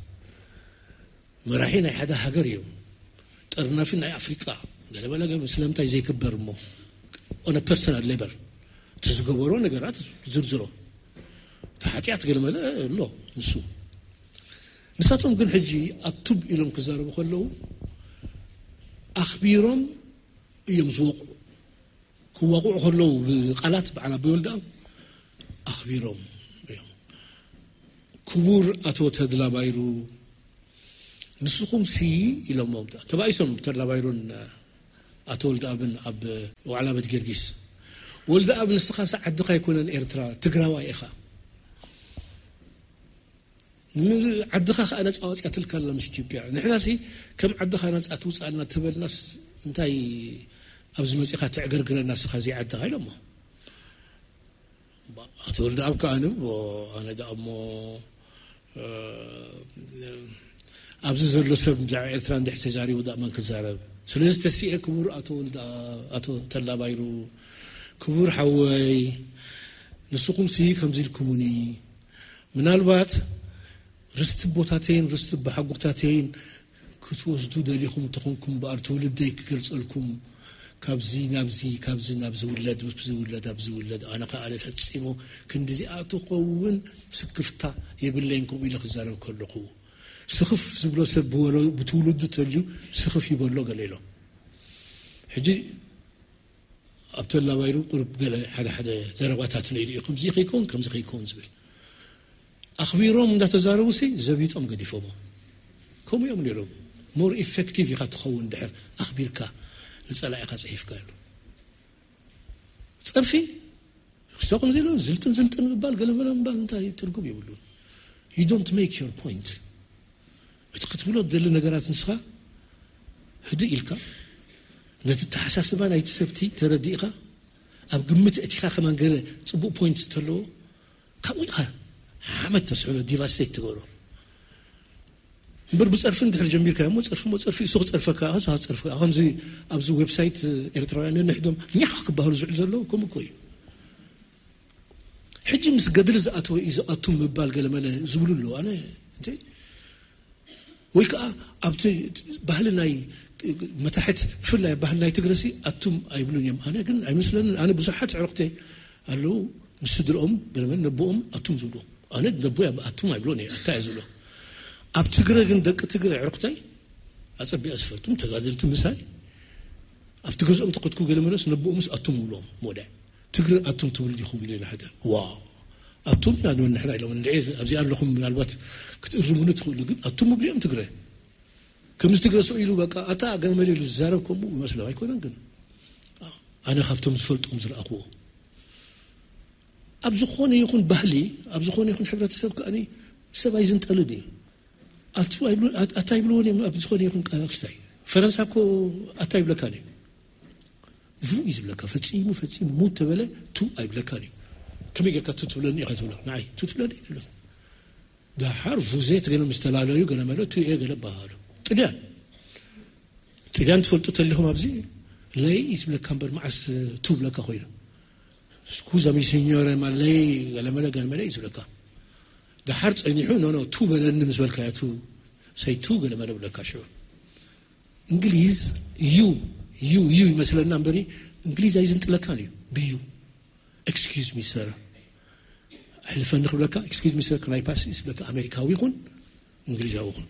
መራሒ ናይ ሓደ ሃገር እዮም። ጠርናፊ ናይ ኣፍሪቃ ገለመለ ገ-፣ ስለምንታይ ዘይክበር እሞ? On a personal level እቲ ዝገበሮ ነገራት ዝርዝሮ። እቲ ሓጢኣት ገለመለ ኣሎ ንሱ። ንሳቶም ግን ሕጂ ኣቱም ኢሎም ክዛረቡ ከለዉ ኣኽቢሮም እዮም ዝወቕዑ። ክዋቕዑ ከለዉ ብቃላት በዓል ኣቦይ ወልደኣብ ኣኽቢሮም እዮም። ክቡር ኣቶ ተድላ ባይሩ፣ ንስኹም ሲ ኢሎሞም፣ ተባኢሶም ተድላ ባይሩን ኣቶ ወልደኣብን ኣብ ዋዕላ ቤት ጊዮርጊስ። ወልደኣብ፣ ንስኻስ ዓድኻ ኣይኮነን ኤርትራ፣ ትግራዋይ ኢኻ። ንዓድኻ ከኣ ነጻ ኣውጺኣትልካ ኣላ ምስ ኢትዮጵያ። ንሕናሲ ከም ዓድኻ ነጻ ትውጽኣልና ተበልናስ እንታይ ኣብዚ መጺኻ ትዕገርግረና ንስኻ ዘይዓድኻ ኢሎሞ። ኣቶ ወልደኣብ ከኣ ንብሎ፣ ኣነ ደኣ እሞ፣ እ፣ ኣብዚ ዘሎ ሰብ ብዛዕባ ኤርትራ እንድሕር ተዛሪቡ ደኣ መን ክዛረብ? ስለዚ ተሲኤ ክቡር ኣቶ ወልደኣብ፣ ኣቶ ተላ ባይሩ፣ ክቡር ሓወይ፣ ንስኹምሲ ከምዚ ኢልኩሙኒ፣ ምናልባት ርስቲ ኣቦታተይን ርስቲ ኣቦሓጎታተይን ክትወስዱ ደሊኹም እንተኾንኩም እምበኣር ትውልደይ ክገልጸልኩም፣ ካብዚ ናብዚ፣ ካብዚ ናብ ዝውለድ፣ ዝውለድ ኣብ ዝውለድ፣ ኣነ ከኣ ፈጺሙ ክንዲዚኣ ትኸውን ስክፍታ የብለይን ከምኡ ኢለ ክዛረብ ከለኹ። ስኽፍ ዝብሎ ሰብ ብወሎ-፣ ብትውልዱ ተልዩ ስኽፍ ይበሎ ገለ ኢሎም። ሕጂ ኣብ ተላ ባይሩ ቁሩብ ገለ ሓደ ሓደ ዘረባታት ነይሩ እዩ። ከምዚ ከይከውን፣ ከምዚ ከይከውን ዝብል። ኣኽቢሮም እንዳተዛረቡሲ ዘቢጦም ገዲፎሞ። ከምኡ እዮም ነይሮም። ሞር ኢፌክቲቭ ኢኻ ትኸውን ድሕር ኣኽቢርካ ንጸላኢኻ ጽሒፍካ ኢሉ። ጸርፊ፣ ክሳኹም ዘይሎ ዝልጥን ዝልጥን ምባል፣ ገለ መለ ምባል እንታይ ትርጉም የብሉን። You don't make your point። እቲ ክትብሎ ትደሊ ነገራት ንስኻ ህድእ ኢልካ፣ ነቲ ኣተሓሳስባ ናይቲ ሰብቲ ተረዲእካ፣ ኣብ ግምት እቲኻ ከማን ገለ ጽቡቕ ፖይንት ዝተለዎ፣ ካብኡ ኢኻ ሓመድ ተስዕሎ፣ ዲቫስቴት ትገብሮ። እምበር ብጸርፊ እንድሕር ጀሚርካ እሞ፣ ጸርፊ እሞ ጸርፊ፣ እሱ ክጸርፈካ፣ እሱ ክጸርፈካ። ከምዚ ኣብዚ ዌብሳይት ኤርትራውያን ነንሕዶም ኛኽ ክበሃሉ ዝውዕል ዘሎ ከምኡ እኮ እዩ። ሕጂ ምስ ገድሊ ዝኣተወ እዩ ዝኣቱ ምባል ገለመለ ዝብሉ ኣለዉ። ኣነ እንተ ወይ ከኣ ኣብቲ ባህሊ ናይ መታሕት፣ ብፍላይ ኣብ ባህሊ ናይ ትግረሲ ኣቱም ኣይብሉን እዮም። ኣነ ግን ኣይመስለንን። ኣነ ብዙሓት ኣዕሩኽተይ ኣለዉ፣ ምስ ስድርኦም ገለመለ ነቦኦም ኣቱም ዝብሉ። ኣነ ነቦይ ኣብ ኣቱም ኣይብሎን እየ፣ ኣታ እየ ዝብሎ። ኣብ ትግረ ግን ደቂ ትግረ ኣዕሩኽተይ ኣጸቢቐ ዝፈልጦም ተጋደልቲ ምሳይ ኣብቲ ገዝኦም ተኸትኩ ገለመለስ ነቦኦምስ ኣቱም ይብሎም። ሞደ ትግረ ኣቱም ትብሉ ዲኹም ኢለ ሓደ። ዋ፣ ኣቱም ኢና ንብል ንሕና ኢሎም። እንድዒ ኣብዚ ኣለኹም ምናልባት ክትእርሙኒ ትኽእሉ፣ ግን ኣቱም ምብሊኦም ትግረ። ከምዚ ትግረ ሰው ኢሉ በቃ ኣታ ገለመለ ኢሉ ዝዛረብ ከምኡ ይመስሎም ኣይኮነን። ግን ኣነ ካብቶም ዝፈልጦም ዝረኣኽዎ ኣብ ዝኾነ ይኹን ባህሊ፣ ኣብ ዝኾነ ይኹን ሕብረተሰብ ከኣ ሰብ ኣይዝንጠልን እዩ። ኣቱ ኣይብሉ-፣ ኣት-፣ ኣታ ይብልዎን እዮም ኣብ ዝኾነ ይኹን ቃ-፣ ክስታይ። ፈረንሳ እኮ ኣታ ይብለካን እዩ። ቡ እዩ ዝብለካ። ፈጺሙ፣ ፈጺሙ ሙት ተበለ ቱ ኣይብለካን እዩ። ከመይ ጌርካ ቱ ትብለኒ ኢኻ ትብሎ? ንዓይ ቱ ትብለኒ ትብሎ። ደሓር ቡዜ ትገለ ምስ ተላለዩ ገለ መለ ቱ እየ ገለ በሃሉ። ጥልያን። ጥልያን ትፈልጡ ተሊኹም ኣብዚ ለይ እዩ ዝብለካ እምበር መዓስ ቱ ብለካ ኮይኑ። ስኩዛ ሚ ሲኞረ ማ ለይ ገለ መለ ገለ መለ እዩ ዝብለካ። ደሓር ጸኒሑ ኖ ኖ ቱ በለኒ ምስ በልካዮ ቱ ሰይ ቱ ገለ መለ ብለካ ሽዑ። እንግሊዝ ዩ፣ ዩ፣ ዩ ይመስለና እምበሪ እንግሊዝ ኣይዝንጥለካን እዩ ብዩ። ኤክስኪውዝ ሚ ሰር፣ ኣሕልፈኒ ክብለካ፣ ኤክስኪውዝ ሚ ሰር፣ ከናይ ፓስ ዝብለካ ኣሜሪካዊ ይኹን እንግሊዛዊ ይኹን።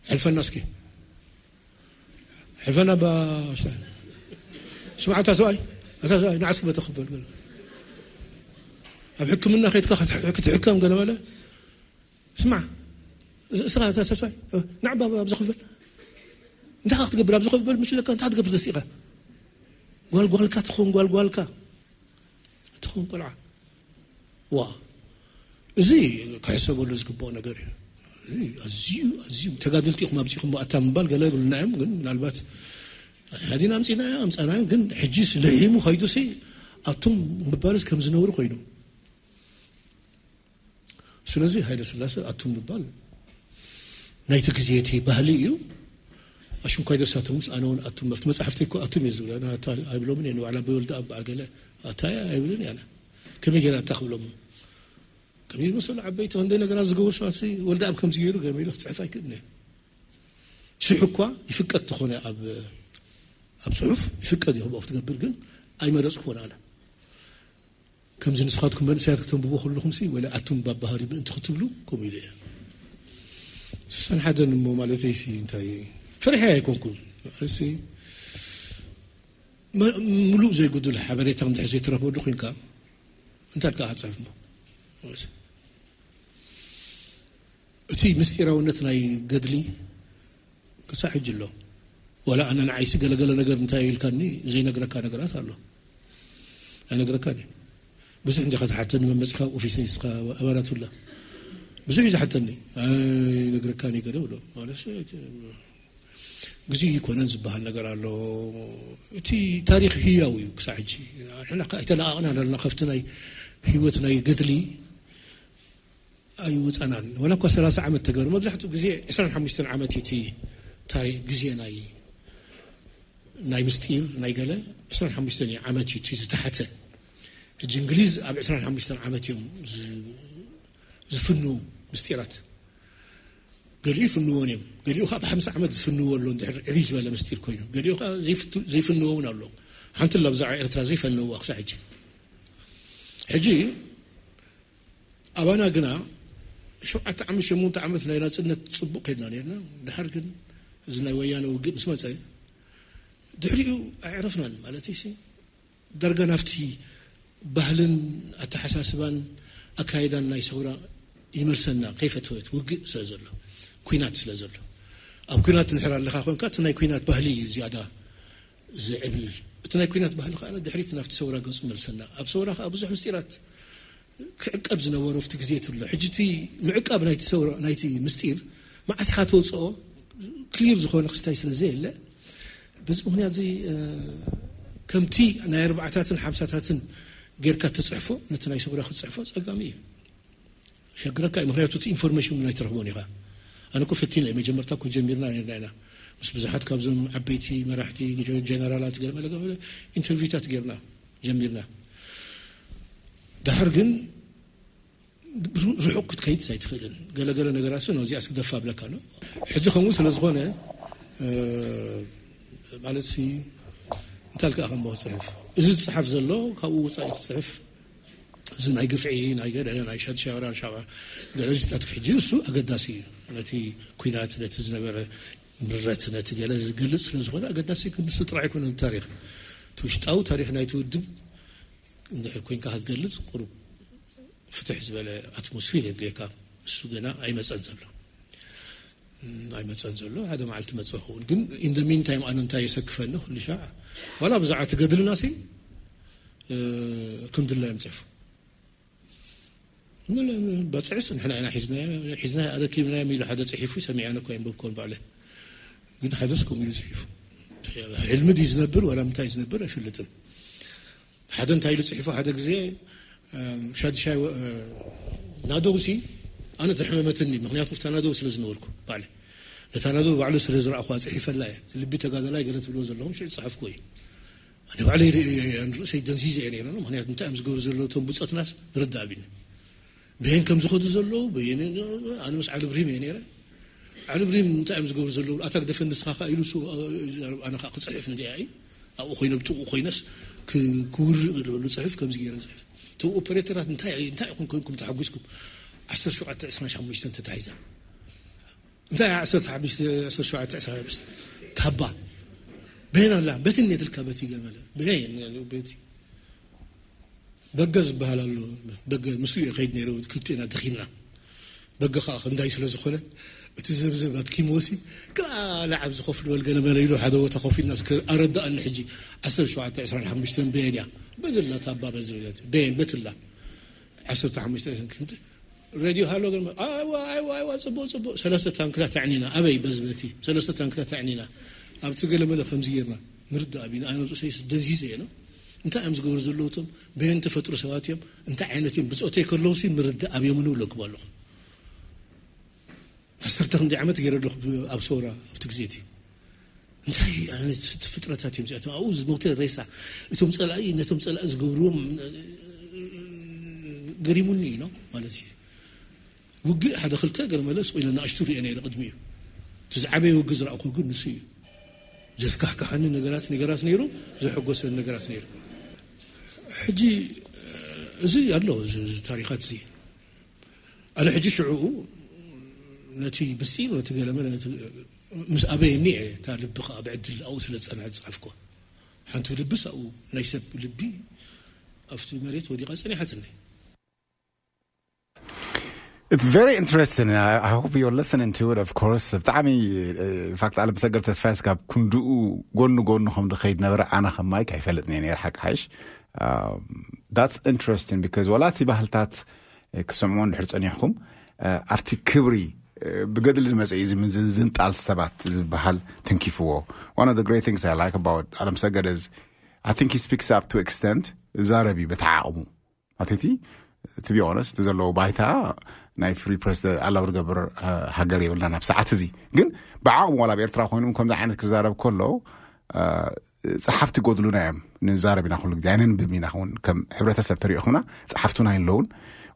ሕልፈና እስኪ። ሕልፈና ባ-፣ ስምዓ፣ እታ ሰብኣይ፣ እታ ሰብኣይ፣ ንዓ እስኪ በተ ክበል ገለ። ኣብ ሕክምና ከይድካ ክትሕ-፣ ክትሕከም ገለ መለ። ስምዓ፣ እስ-፣ እስኻ እታ ሰብ ሰብኣይ፣ እ፣ ንዓ ባ-፣ ባ-፣ ኣብዚ ክበል። እንታይ ክትገብር ኣብዚ ክበል? ምሽ ለካ እንታይ ክትገብር ተሲኻ? ጓል ጓልካ ትኸውን፣ ጓል ጓልካ ትኸውን ቆልዓ። ዋ፣ እዚ ክሕሰበሉ ዝግብኦ ነገር እዩ። እዚ ኣዝዩ፣ ኣዝዩ ተጋደልቲ ኢኹም ኣብዚኹም ኣታ ምባል ገለ ይብሉና እዮም፣ ግን ምናልባት ሓዲና ኣምጺእናዮ፣ ኣምጻእናዮ፣ ግን ሕጂስ ልሒሙ ከይዱሲ ኣቱም ምባልስ ከም ዝነውሪ ኮይኑ። ስለዚ ሃይለ ስላሴ ኣቱም ምባል ናይቲ ግዜ እቲ ባህሊ እዩ። ኣሽንኳይ ደሳቶምስ ኣነ እውን ኣቱም፣ ኣብቲ መጽሓፍቲ እኮ ኣቱም እየ ዝብል። ኣነ ኣታ ኣይብሎምን እየ፣ ንባዕላ ብወልዲ ኣብ በዓል ገለ ኣታ እየ ኣይብልን እየ ኣነ። ከመይ ገይረ ኣታ ክብሎም? ከመይ ዝመሰሉ ዓበይቲ ክንደይ ነገራት ዝገበሩ ሰባትሲ ወልዲ ኣብ ከምዚ ገይሩ ገለ ኢሉ ክጽሕፍ ኣይክእልን እየ። ሽሕ እኳ ይፍቀድ ተኾነ ኣብ፣ ኣብ ጽሑፍ ይፍቀድ እዩ ክብኦ ክትገብር፣ ግን ኣይመረጽኩዎን ኣነ። ከምዚ ንስኻትኩም መንእሰያት ክተንብቦ ከለኹምሲ፣ ወላ ኣቱም ባባሃሪ ምእንቲ ክትብሉ፣ ከምኡ ኢለ እየ። ሰን ሓደን እሞ ማለተይሲ እንታይ፣ ፈሪሐ ኣይኮንኩን። ማለትሲ፣ መ-፣ ምሉእ ዘይጉዱል ሓበሬታ እንድሕር ዘይትረኽበሉ ኮይንካ፣ እንታይ ኢልካ ክትጽሕፍ እሞ? እቲ ምስጢራውነት ናይ ገድሊ ክሳዕ ሕጂ ኣሎ። ወላ ኣነ ንዓይሲ ገለገለ ነገር እንታይ ኢልካኒ ዘይነግረካ ነገራት ኣሎ። ኣይነግረካን እየ። ብዙሕ እንዲኻ ትሓተኒ፣ መመጺኻ ኣብ ኦፊሰይ እስኻ ኣባላቱላ። ብዙሕ እዩ ዝሓተኒ። ኣይነግረካን እየ ገለ ብሎ። ማለት ግዜ ይኮነን ዝበሃል ነገር ኣሎ። እቲ ታሪኽ ህያው እዩ ክሳዕ ሕጂ። ንሕና ከ ኣይተለቓቕናን ኣለና ካብቲ ናይ ህይወት ናይ ገድሊ ኣይወፃናን። ወላ እኳ ሰላሳ ዓመት ተገሩ፣ መብዛሕትኡ ግዜ ዕስራን ሓሙሽተን ዓመት እዩ እቲ ታሪኽ ግዜ ናይ ናይ ምስጢር ናይ ገለ ዕስራን ሓሙሽተን ዓመት እዩ እቲ ዝተሓተ። ሕጂ እንግሊዝ ኣብ ዕስራን ሓሙሽተን ዓመት እዮም ዝ- ዝፍንዉ ምስጢራት። ገሊኡ ይፍንዎን እዮም፣ ገሊኡ ካብ ሓምሳ ዓመት ዝፍንዎ ኣሎ። እንድሕር ዕብይ ዝበለ ምስጢር ኮይኑ ገሊኡ ከዓ ዘይፍቱ- ዘይፍንዎ እውን ኣሎ። ሓንቲ ላ ብዛዕባ ኤርትራ ዘይፈነውዋ ክሳዕ ሕጂ። ሕጂ ኣባና ግና ሸውዓተ ዓመት ሸሞንተ ዓመት ናይ ናፅነት ፅቡቅ ከድና ነርና። ድሓር ግን እዚ ናይ ወያነ ውግእ ምስ መፀ ድሕሪኡ ኣዕረፍናን ማለት ሲ ዳርጋ ናብቲ ባህልን ኣተሓሳስባን ኣካይዳን ናይ ሰውራ ይመልሰና። ከይፈተወት ውግእ ስለ ዘሎ፣ ኩናት ስለ ዘሎ፣ ኣብ ኩናት ንሕር ኣለካ ኮንካ እቲ ናይ ኩናት ባህሊ እዩ ዝያዳ ዝዕብልል። እቲ ናይ ኩናት ባህሊ ከዓ ድሕሪት ናብቲ ሰውራ ገፁ መልሰና። ኣብ ሰውራ ከዓ ብዙሕ ምስጢራት ክዕቀብ ዝነበሮ ኣብቲ ግዜ ትብሎ። ሕጂ እቲ ምዕቃብ ናይቲ ሰውራ ናይቲ ምስጢር መዓስ ኢኻ ተውፅኦ ክሊር ዝኾነ ክስታይ ስለ ዘየለ፣ በዚ ምክንያት እዚ ከምቲ ናይ ኣርባዕታትን ሓምሳታትን ጌርካ ትፅሕፎ ነቲ ናይ ሰውራ ክትፅሕፎ ፀጋሚ እዩ። ሸግረካ እዩ። ምክንያቱ እቲ ኢንፎርሜሽን ናይ ትረኽቦን ኢኻ። ኣነ እኮ ፈቲና እዩ። መጀመርታ እኮ ጀሚርና ነርና ኢና ምስ ብዙሓት ካብዞም ዓበይቲ መራሕቲ ጀነራላት ገለመለ ገለመለ ኢንተርቪውታት ጌርና ጀሚርና። ድሓር ግን ርሑቕ ክትከይድ ኣይትኽእልን። ገለገለ ነገራት ስ ነዚኣ ስግደፋ ብለካ ኣሎ። ሕጂ ከምኡ ስለ ዝኾነ ማለት ሲ እንታይ ልካ ከም ክፅሕፍ እዚ ዝፅሓፍ ዘሎ ካብኡ ወፃኢ ክትፅሕፍ እዚ ናይ ግፍዒ ናይ ገለ ናይ ሸድሻራ ሻ ገለዚታት ሕጂ እሱ ኣገዳሲ እዩ። ነቲ ኩናት ነቲ ዝነበረ ምረት ነቲ ገለ ዝገልፅ ስለ ዝኾነ ኣገዳሲ ክንሱ ጥራሕ ይኮነ ታሪክ እቲ ውሽጣዊ ታሪክ ናይቲ ውድብ እንድሕር ኮይንካ ክትገልፅ ቁሩብ ፍትሕ ዝበለ ኣትሞስፊር የድልየካ። እሱ ገና ኣይመፀን ዘሎ ኣይመፀን ዘሎ ሓደ መዓልቲ መፀ ክኸውን ግን in the meantime ኣነ እንታይ የሰክፈኒ ኩሉ ሻዕ ዋላ ብዛዕባ እቲ ገድልና ሲ ክንድላ እዮም ፅሕፉ በፅዕስ ንሕና ኢና ሒዝና ሒዝና ኣረኪብና ኢሉ ሓደ ፅሒፉ ሰሚዐ እኮ የንበብኮን ባዕለ ግን ሓደስ ከምኡ ኢሉ ፅሒፉ ሕልሚ ድዩ ዝነብር ዋላ ምንታይ ዝነብር ኣይፈልጥን ሓደ እንታይ ኢሉ ፅሒፉ ሓደ ግዜ ሻድሻይ ናደው ሲ ኣነ ዘሕመመትኒ ምክንያቱ ፍታ ናደው ስለ ዝነበርኩ ባዕለ ነታ ናደው ባዕሉ ስለ ዝረእኳ ፅሒፈላ እየ ልቢ ተጋደላይ ገለ ትብልዎ ዘለኹም ሽዑ ዝፀሓፍኩ እዩ ኣነ ባዕለይ ርእሰይ ደንዚዘ እየ ነይረ ምክንያቱ እንታይ እዮም ዝገብሩ ዘለዉ እቶም ብፆትናስ ንርዳእ ቢኒ በየን ከም ዝኸዱ ዘለዉ በየን ኣነ ምስ ዓሊ ብሪም እየ ነይረ ዓሊ ብሪም እንታይ እዮም ዝገብሩ ዘለዉ ኣታ ግደፈ ንስኻ ካ ኢሉ ኣነ ካ ክፅሕፍ እንዲያ እዩ ኣብኡ ኮይነ ብጥቕኡ ኮይነስ ክውርቕ ዝበሉ ፅሕፍ ከምዚ ገይረ ፅሕፍ እቶም ኦፐሬተራት እንታይ እንታይ ኢኹም ኮይንኩም ተሓጒስኩም ዓሰርተ ሸውዓተ ዕስራን ሓሙሽተን ተታሒዛ እንታይ ዓሰርተ ሓሙሽተ ዓሰርተ ሸውዓተ ዕስራን ሓሙሽተ ታባ በየን ኣላ በትን የትልካ በቲ ገመለ በየን በቲ በገ ዝበሃል ኣሎ በገ ምስኡ እየ ከይድ ነይረ ክልቴና ደኺምና በገ ከዓ ክንዳይ ስለ ዝኾነ እቲ ዘብዘብ ኣትኪምዎ ሲ ክላለ ዓብ ዝኸፍል በል ገለ መለ ኢሉ ሓደ ቦታ ኮፍ ኢልና እስከ ኣረዳኣኒ ሕጂ ዓሰርተ ሸውዓተ ዕስራን ሓሙሽተን በየን እያ በዚ ኣላ ታባ በዚ በየን በትላ ዓሰርተ ሓሙሽተ ክንት ሬድዮ ሃሎ ገለ ኣይዋ ኣይዋ ኣይዋ ፅቡቅ ፅቡቅ ሰለስተ ታንክታት ኣዕኒና ኣበይ በዚ በቲ ሰለስተ ታንክታት ኣዕኒና ኣብቲ ገለ መለ ከምዚ ጌርና ንርዳእ ቢና ኣነ ርእሰይ ደንዚዘ እየ ነው እንታይ እዮም ዝገብሩ ዘለዉ እቶም በየን ተፈጥሮ ሰባት እዮም እንታይ ዓይነት እዮም ብፆተይ ከለዉ ሲ ምርዳእ ኣብዮም ንብለኩም ኣለኹ ዓሰርተ ክንደይ ዓመት ገይረ ኣለኹ ኣብ ሰውራ ኣብቲ ግዜ እቲ እንታይ ዓይነት ፍጥረታት እዮም እዚኣቶም ኣብኡ ዝሞተ ሬሳ እቶም ፀላኢ ነቶም ፀላኢ ዝገብርዎም ገሪሙኒ እዩ ነው ማለት እዩ ውግእ ሓደ ክልተ ገለ መለ ስቕ ኢለ ንኣሽቱ ሪኦ ነይረ ቅድሚኡ እቲ ዝዓበየ ውግእ ዝረእኩ ግን ንሱ እዩ ዘስካሕካሓኒ ነገራት ነገራት ነይሩ ዘሐጎሰኒ ነገራት ነይሩ ሕጂ እዚ ኣሎ እዚ ታሪኻት እዚ ኣነ ሕጂ ሽዕኡ ነቲ ምስጢር ነቲ ገለመለ ምስ ኣበየኒ እየ እታ ልቢ ከዓ ብዕድል ኣብኡ ስለ ዝፀንሐት ዝፀሓፍኩ ሓንቲ ልብስ ኣብኡ ናይ ሰብ ልቢ ኣብቲ መሬት ወዲቓ ፀኒሓትኒ It's very interesting. I, I hope you're listening to it, of course. ብጣዕሚ ኢንፋክት ኣለም ሰገር ተስፋ ስጋብ ክንድኡ ጎኒ ጎኒ ከም ድኸይድ ነበረ ኣነ ከማይ ካይፈልጥ ነየ ነር ሓቂ ሓይሽ that's interesting because ወላ እቲ ባህልታት ክሰምዖ እንድሕር ጸኒሕኩም ኣብቲ ክብሪ ብገድሊ ዝመፀ እዩ። እዚ ምዝንጣል ሰባት ዝበሃል ትንኪፍዎ። One of the great things I like about ኣለም ሰገድ is I think he speaks up to extent። ዛረብ እዩ በታ ዓቕሙ። ኣተቲ ትቢ ኦነስት ዘለዎ ባይታ ናይ ፍሪ ፕረስ ኣላው ዝገብር ሃገር የብልና ናብ ሰዓት እዚ። ግን ብዓቕሙ ዋላ ኣብ ኤርትራ ኮይኑ ከምዚ ዓይነት ክዛረብ ከሎ ጸሓፍቲ ጎድሉና እዮም። ንዛረብ ኢና ኩሉ ግዜ ኣይነንብብ ኢና። ውን ከም ሕብረተሰብ ተሪእኹምና ጸሓፍቱና ይለውን።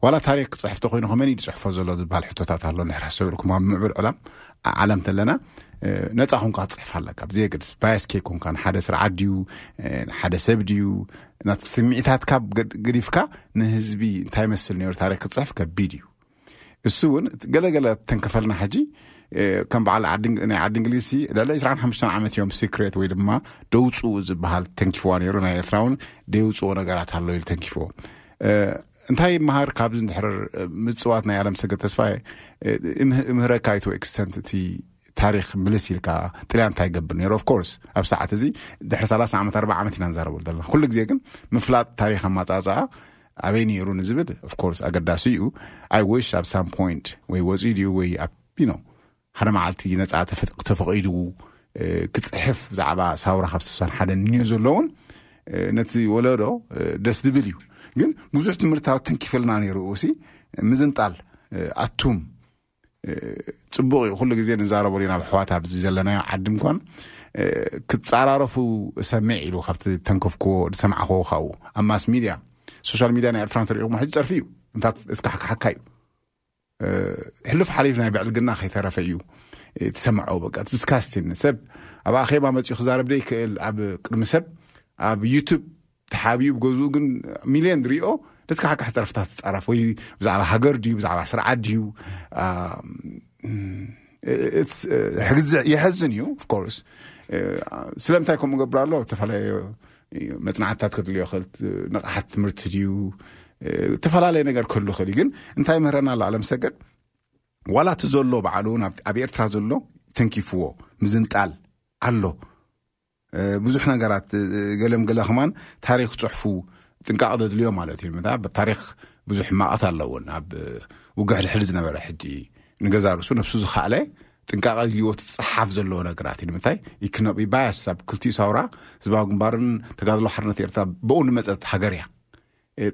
ዋላ ታሪክ ክፅሕፍ ተኮይኑ ከመን እዩ ዝፅሕፎ ዘሎ ዝበሃል ሕቶታት ኣሎ። ንሕር ሓሰብልኩም ኣብ ምዕብል ዕላም ዓለም ተለና ነፃ ኮንካ ክትፅሕፍ ኣለካ። ብዘየገድስ ባያስ ከይኮንካ ንሓደ ስርዓት ድዩ ሓደ ሰብ ድዩ ናት ስምዒታት ካብ ገዲፍካ ንህዝቢ እንታይ መስል ነሩ ታሪክ ክትፅሕፍ ከቢድ እዩ። እሱ እውን ገለገለ ተንከፈልና ሕጂ ከም በዓል ናይ ዓዲ እንግሊዝ ልዕሊ ዕስራን ሓሙሽተን ዓመት እዮም ሲክሬት ወይ ድማ ደውፅኡ ዝበሃል ተንኪፍዋ ነይሩ። ናይ ኤርትራ እውን ደውፅዎ ነገራት ኣሎ ኢሉ ተንኪፍዎ። እንታይ መሃር ካብዚ እንድሕር ምፅዋት ናይ ኣለም ሰገድ ተስፋ ምህረካ ይቶ ኤክስተንት እቲ ታሪክ ምልስ ኢልካ ጥልያን እንታይ ይገብር ነይሩ? ኦፍኮርስ ኣብ ሰዓት እዚ ድሕሪ ሰላሳ ዓመት ኣርባ ዓመት ኢና ንዛረበሉ ዘለና። ኩሉ ግዜ ግን ምፍላጥ ታሪክ ኣማፃፅኣ ኣበይ ነይሩ ንዝብል ኦፍኮርስ ኣገዳሲ እዩ። ኣይ ዊሽ ኣብ ሳም ፖይንት ወይ ወፂኡ ድዩ ወይ ኣብ ዩ ኖ ሓደ መዓልቲ ነፃ ተፈቂዱ ክፅሕፍ ብዛዕባ ሳውራ ካብ ስሳን ሓደ ንዮ ዘለውን ነቲ ወለዶ ደስ ዝብል እዩ። ግን ብዙሕ ትምህርታዊ ተንኪፈልና ነይሩ። ሲ ምዝንጣል ኣቱም ፅቡቅ እዩ። ኩሉ ግዜ ንዛረበሉ ኢና ብሕዋት ኣብዚ ዘለናዮ ዓዲ እንኳን ክፃራረፉ እሰምዕ ኢሉ ካብቲ ተንከፍክዎ ዝሰማዕክዎ ካብኡ ኣብ ማስ ሚድያ ሶሻል ሚድያ ናይ ኤርትራ እንተሪኢኹም ሕጂ ፀርፊ እዩ። ኢንፋክት እስካሕካሓካ እዩ። ሕሉፍ ሓሊፍ ናይ ብዕልግና ከይተረፈ እዩ ትሰምዖ። በቃ ዲስካስቲን ሰብ ኣብ ኣኼባ መፅኡ ክዛረብ ዘይክእል ኣብ ቅድሚ ሰብ ኣብ ዩቱብ ተሓቢኡ ብገዝኡ ግን ሚልዮን ዝሪኦ ደስካ ሓካሕ ፀርፍታት ትፃረፍ ወይ ብዛዕባ ሃገር ድዩ ብዛዕባ ስርዓት ድዩ ሕግዝ የሐዝን እዩ። ኦፍኮርስ ስለምንታይ ከምኡ ገብር ኣሎ? ዝተፈላለዩ መፅናዕትታት ክድልዮ ክእል ንቕሓት ትምህርቲ ድዩ ዝተፈላለየ ነገር ክህሉ ክእል እዩ። ግን እንታይ ምህረና ኣሎ ኣለም ሰገድ ዋላ እቲ ዘሎ ባዕሉ እውን ኣብ ኤርትራ ዘሎ ተንኪፍዎ ምዝንጣል ኣሎ። ብዙሕ ነገራት ገለም ገለ ከማን ታሪክ ፅሑፉ ጥንቃቕ ዘድልዮ ማለት እዩ። ምታ ታሪክ ብዙሕ ሕማቓት ኣለውን ኣብ ውግሕ ድሕሪ ዝነበረ ሕጂ ንገዛ ርእሱ ነብሱ ዝኸኣለ ጥንቃቐ ድልዎ ትፅሓፍ ዘለዎ ነገራት እዩ። ንምንታይ ኢኮኖሚ ባያስ ኣብ ክልቲኡ ሳውራ ህዝባዊ ግንባርን ተጋድሎ ሓርነት ኤርትራ ብኡ ንመፀት ሃገር እያ።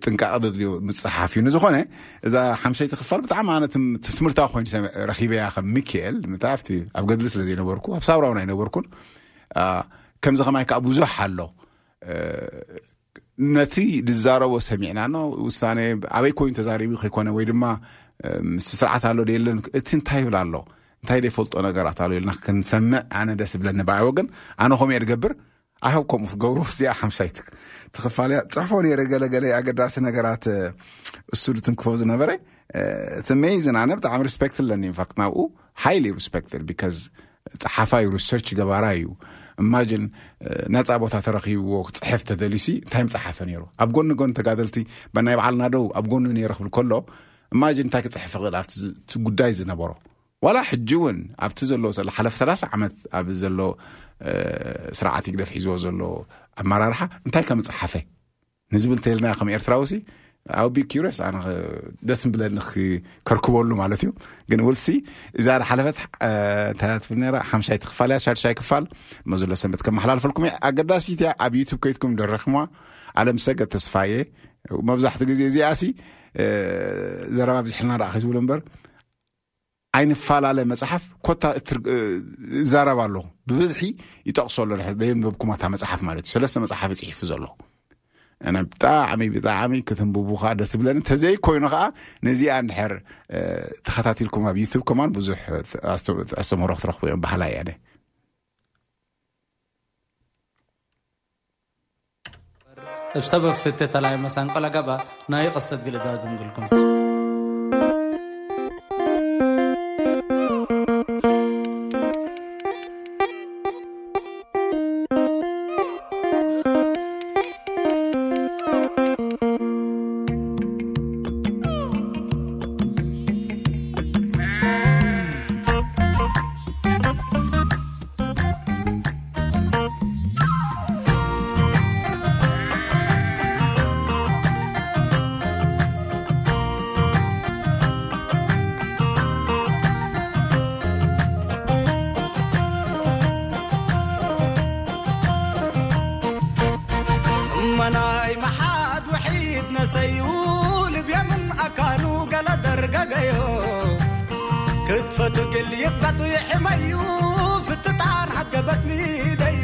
ጥንቃቐ ዘድልዮ ምፅሓፍ እዩ። ንዝኾነ እዛ ሓምሰይቲ ክፋል ብጣዕሚ ኣነ ትምህርታዊ ኮይኑ ረኪበያ ከም ሚካኤል ምታ ኣብቲ ኣብ ገድሊ ስለ ዘይነበርኩ ኣብ ሳውራውን ኣይነበርኩን። ከምዚ ከማይ ከዓ ብዙሕ ኣሎ። ነቲ ዝዛረቦ ሰሚዕና ኖ ውሳኔ ኣበይ ኮይኑ ተዛሪቡ ከይኮነ ወይ ድማ ምስ ስርዓት ኣሎ የለን እቲ እንታይ ይብል ኣሎ እንታይ ዘይፈልጦ ነገራት ኣሎ ኢልና ክንሰምዕ ኣነ ደስ ብለኒ። ብኣይ ወገን ኣነ ከምኡ እየ ዝገብር። ኣህብ ከምኡ ክገብሩ እዚኣ ሓምሻይ ትኽፋል እያ። ፅሕፎ ነይረ ገለገለ ኣገዳሲ ነገራት እሱ ዝትንክፎ ዝነበረ እቲ ሜይዝን ኣነ ብጣዕሚ ሪስፔክት ኣለኒ። ኢንፋክት ናብኡ ሃይሊ ሪስፔክት ቢካዝ ፀሓፋይ ሪሰርች ገባራ እዩ። እማጅን ነፃ ቦታ ተረኪብዎ ክፅሕፍ ተደሊሲ እንታይ ምፀሓፈ ነይሩ? ኣብ ጎኒ ጎኒ ተጋደልቲ በናይ በዓልና ደው ኣብ ጎኒ ነይረ ክብል ከሎ እማጅን እንታይ ክፅሕፍ ክእል ኣብቲ ጉዳይ ዝነበሮ ዋላ ሕጂ እውን ኣብቲ ዘሎ ዝሓለፈ ሰላሳ ዓመት ኣብ ዘሎ ስርዓት ይግደፍ ሒዝዎ ዘሎ ኣመራርሓ እንታይ ከም ዝፀሓፈ ንዝብል እንተልና ከም ኤርትራዊ ሲ ኣው ቢ ኪሪስ ኣነ ደስ ብለኒ ከርክበሉ ማለት እዩ። ግን ውልሲ እዛ ሓለፈት እንታይ ትብል ነራ ሓምሻይ ክፋል እያ ሻድሻይ ክፋል መዘሎ ሰንበት ከመሓላልፈልኩም እየ። ኣገዳሲት እያ። ኣብ ዩቱብ ከይትኩም ደረክማ ኣለም ሰገድ ተስፋየ መብዛሕትኡ ግዜ እዚኣ ሲ ዘረባ ብዝሕልና ደኣ ከይትብሉ እምበር ኣይንፈላለ መፅሓፍ ኮታ ይዛረብ ኣለኹ። ብብዝሒ ይጠቕሶ ኣሎ። ደየንበብኩማታ መፅሓፍ ማለት እዩ። ሰለስተ መፅሓፍ ይፅሒፉ ዘሎ ኣነ ብጣዕሚ ብጣዕሚ ክትንብቡ ከዓ ደስ ብለኒ። እንተዘይ ኮይኑ ከዓ ነዚኣ እንድሕር ተኸታቲልኩም ኣብ ዩቱብ ከማን ብዙሕ ኣስተምህሮ ክትረኽቡ እዮም ባህላ እየ። እብ ሰበብ ፍቴ ተላይ መሳንቆ ለገብአ ናይ ቅሰት ግልዳ ግምግልኩም። ልይጣቱ የሕመዩ ፍትጣን ሓገበት ሚደዩ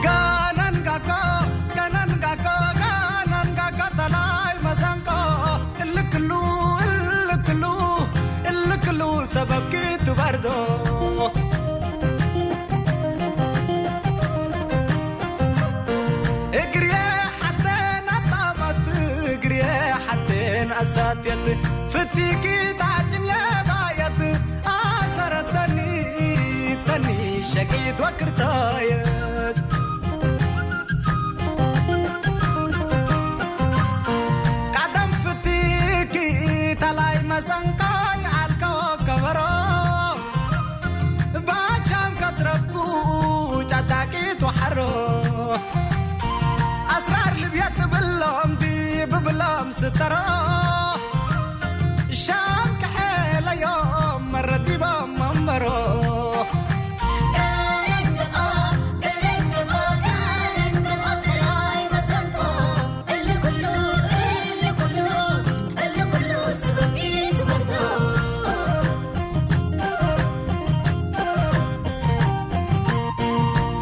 ጋናን ጋጋ ጋናን ጋጋ ጋናን ጋጋ ተላይ መሰንቆ እልክሉ እልክሉ እልክሉ ሰበብ ክትበርዶ እግርየ ሓተን ኣጣመት እግርየ ሓተን ኣሳትየት ፍቲኪ ታጭምየ ባየት ኣሰረተኒ ተኒ ሸቂት ወክርታየት ቀደም ፍቲኪ ተላይ መሰንቃይ ኣልከወ ከበሮ ባቻም ከትረብኩ ጫጣቂት ወሓሮ ኣስራር ልብያ ትብሎም ዲ ብብሎም ስተሮ ሻም ክሐለዮም መረዲቦም መንበሮ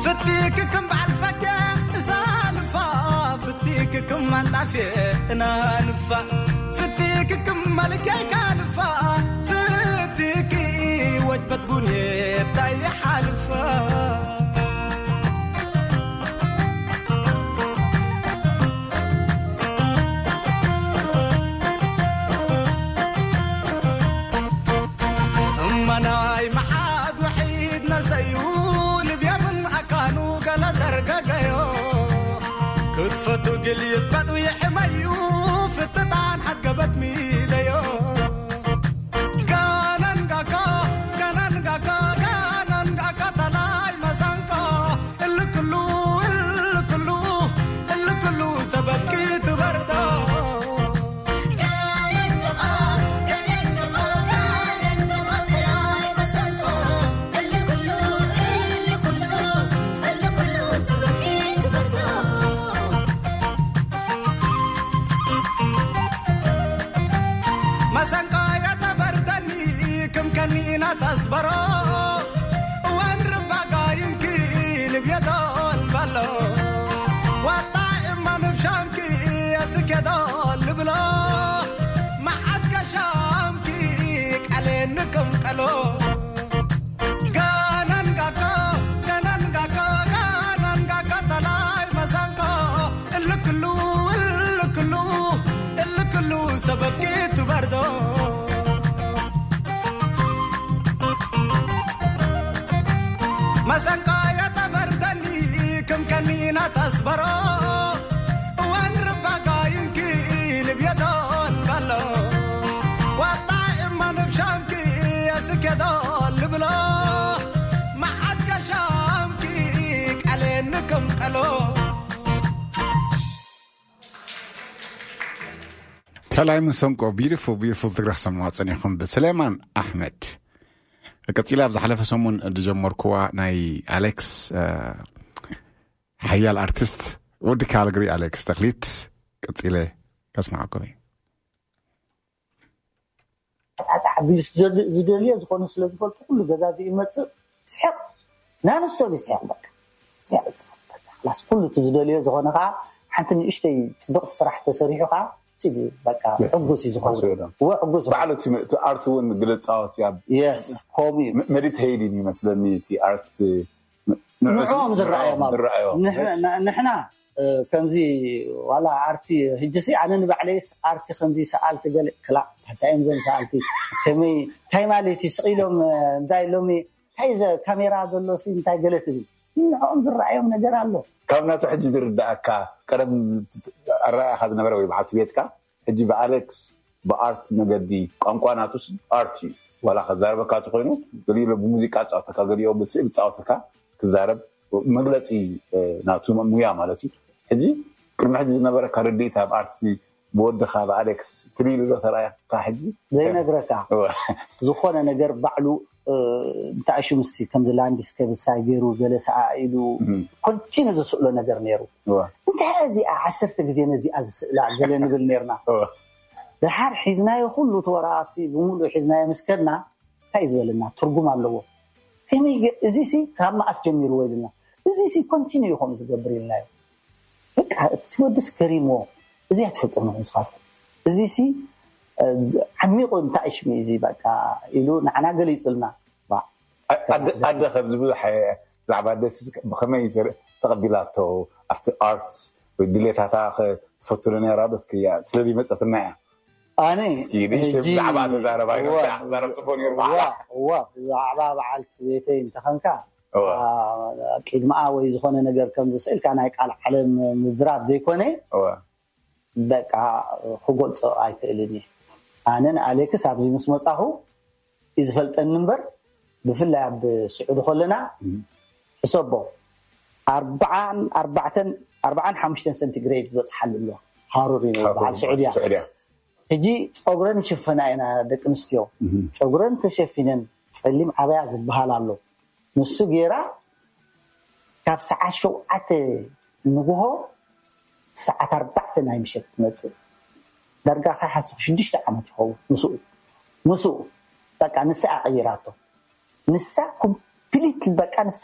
ፍቲክክም በዓል ፈትየ እዛ ንፋ ፍቲክክም ኣንጣፍየ እና ንፋ ፍቲክክም መልከይካ ንፋ ፍቲኪ ወጅበት ቡንየ ታይ ሓልፋ እማናይ መሓድ ውሒድ ነሰዩ ልብያ ምን ኣካኑ ገለ ደርገገዮ ክትፈቱ ግል ይበጡ ይሕመዩ ፍትጣን ሓገበት ሚደዮ ጋናን ጋካ ጋናን ጋካ ጋናን ጋካ ተላይ መሰንቆ እልክሉ እልክሉ እልክሉ ሰበብ ክትበርዶ መሰንቆ የተበርደኒ ክም ከኒና ተስበሮ እዋን ርባጋይንኪ ልብየዶ ልበሎ ዋጣ እማ ንብሻምኪ የስኬዶ ልብሎ መዓት ከሻምኪ ቃሌ ንቅምቀሎ ጋናን ጋካ ጋናን ጋካ ጋናን ጋካ ተላይ መሰንቆ እልክሉ እልክሉ እልክሉ ሰበብ ክትበርዶ መሰንቆ የተበርደኒ ክም ከኒና ተስበሮ እዋን ርባጋይንኪ ልብየዶ ልበሎ ዋጣ እማ ንብሻምኪ የስኬዶ ልብሎ መዓት ከሻምኪ ቃሌ ንቅምቀሎ ተላይ መሰንቆ beautiful beautiful ትግረ ክሰምዋ ጸኒኹም ብስሌማን ኣሕመድ። ቀጺላ ኣብ ዝሓለፈ ሰሙን ዝጀመርኩዋ ናይ ኣሌክስ ሓያል ኣርቲስት ወዲ ካልግሪ ኣሌክስ ተክሊት ቀጺለ ከስማዓኩም እየ። ኣጣጣ ዝደልዮ ዝኾነ ስለ ዝፈልጡ ኩሉ ገዛ እዚ ይመፅእ ስሕቕ ናንስቶብ ይስሕቕ በቃ ስሕቕ ይፅሓፍ በቃ ላስ ኩሉ እቲ ዝደልዮ ዝኾነ ከዓ ሓንቲ ንእሽተይ ፅብቕቲ ስራሕ ተሰሪሑ ከዓ ሲዲ በቃ ሕጉስ እዩ ዝኸውን እወ ሕጉስ በዓል እቲ ኣርት እውን ግለፃወት ኣብ የስ ከምኡ እዩ ሜዲቴይድ ይመስለኒ እቲ ኣርት ንዕኦም ዝረኣዮም ኣብ ዝረኣዮም ንሕና ከምዚ ዋላ ኣርቲ ህጅሲ ኣነ ንባዕለይስ ኣርቲ ከምዚ ሰኣልቲ ገለ ክላእ እንታይ እዮም ዘም ሰኣልቲ ከመይ እንታይ ማለት እዩ ስቕ ኢሎም እንታይ ሎሚ እንታይ ካሜራ ዘሎ ሲ እንታይ ገለ ትብል ንዕኦም ዝረኣዮም ነገር ኣሎ ካብ ናቱ ሕጂ ዝርዳእካ ቀደም ኣረኣእካ ዝነበረ ወይ በዓልቲ ቤትካ ሕጂ ብኣሌክስ ብኣርት መገዲ ቋንቋ ናቱስ ኣርት እዩ ዋላ ከዛረበካ ተኮይኑ ገሊኡ ብሙዚቃ ፃወተካ ገሊኦ ብስእል ፃወተካ ክዛረብ መግለፂ ናቱ ሙያ ማለት እዩ ሕጂ ቅድሚ ሕጂ ዝነበረካ ርድኢት ኣብ ኣርት ብወድኻ ብኣሌክስ ፍልይ ኢሉ ዶ ተራእየካ ሕጂ ዘይነግረካ ዝኾነ ነገር ባዕሉ እንታእሹ ምስቲ ከምዚ ላንድስኬፕ ስታይ ገይሩ ገለ ሰኣ ኢሉ ኮንቲኑ ዝስእሎ ነገር ነይሩ እንታይ እዚኣ ዓሰርተ ግዜ ነዚኣ ዝስእላ ገለ ንብል ነርና ድሓር ሒዝናዮ ኩሉ እቲ ወረቓቕቲ ብምሉእ ሒዝናዮ ምስ ከድና እንታይ እዩ ዝበለና? ትርጉም ኣለዎ። ከመይ ገ- እዚ ሲ ካብ መኣስ ጀሚርዎ ኢልና፣ እዚ ሲ ኮንቲኒዩ ከም ዝገብር ኢልናዮ። በቃ እቲ ወድስ ገሪምዎ። እዚ ኣይትፈልጦ ንኹም ስኻትኩም። እዚ ሲ እ፣ ዝ- ዓሚቑ እንታይ ሽሚ እዚ በቃ ኢሉ ንዓና ገሊጹልና። ባ- ኣደ ኣደ ከም ዝብሉ ሓየ ብዛዕባ ኣደስ ብኸመይ ተር- ተቐቢላቶ ኣብቲ ኣርትስ ወይ ድሌታታ ትፈትሎ ነራ ዶ ትክያ ስለዚ መፀትና እያ። ኣነ እስኪ ንእሽተይ ሕጂ ብዛዕባ ተዛረባ ኢሎም እዋ፣ ሳዕ ክዛረብ ጽቡቅ ነይሩ እዋ፣ በዓላ። እዋ፣ ብዛዕባ በዓልቲ ቤተይ እንተኸንካ እዋ። አ፣ ቅድሚኣ ወይ ዝኾነ ነገር ከም ዝስእልካ ናይ ቃል ዓለም ምዝራብ ዘይኮነ እዋ። በቃ ክገልጾ ኣይክእልን እየ። ኣነ ንኣሌክስ ኣብዚ ምስ መጻኹ እዩ ዝፈልጠኒ እምበር ብፍላይ ኣብ ስዑዲ ከለና ሕሰቦ ኣርባዓን ኣርባዕተን ኣርባዓን ሓሙሽተን ሰንቲግሬድ ዝበፅሓሉ ኣሎ። ሃሩር እዩ በዓል ስዑድያ። ስዑድያ። ሕጂ ፀጉረን ይሽፈና ኢና ደቂ ኣንስትዮ። ጨጉረን ተሸፊነን ፀሊም ዓበያ ዝበሃል ኣሎ። ንሱ ገይራ ካብ ሰዓት ሸውዓተ ንግሆ ሰዓት ኣርባዕተ ናይ ምሸት ትመፅእ። ዳርጋ ከሓስኹ ሽዱሽተ ዓመት ይኸውን ምስኡ ምስኡ በቃ ንሳ ቀይራቶ። ንሳ ኮምፕሊት በቃ ንሳ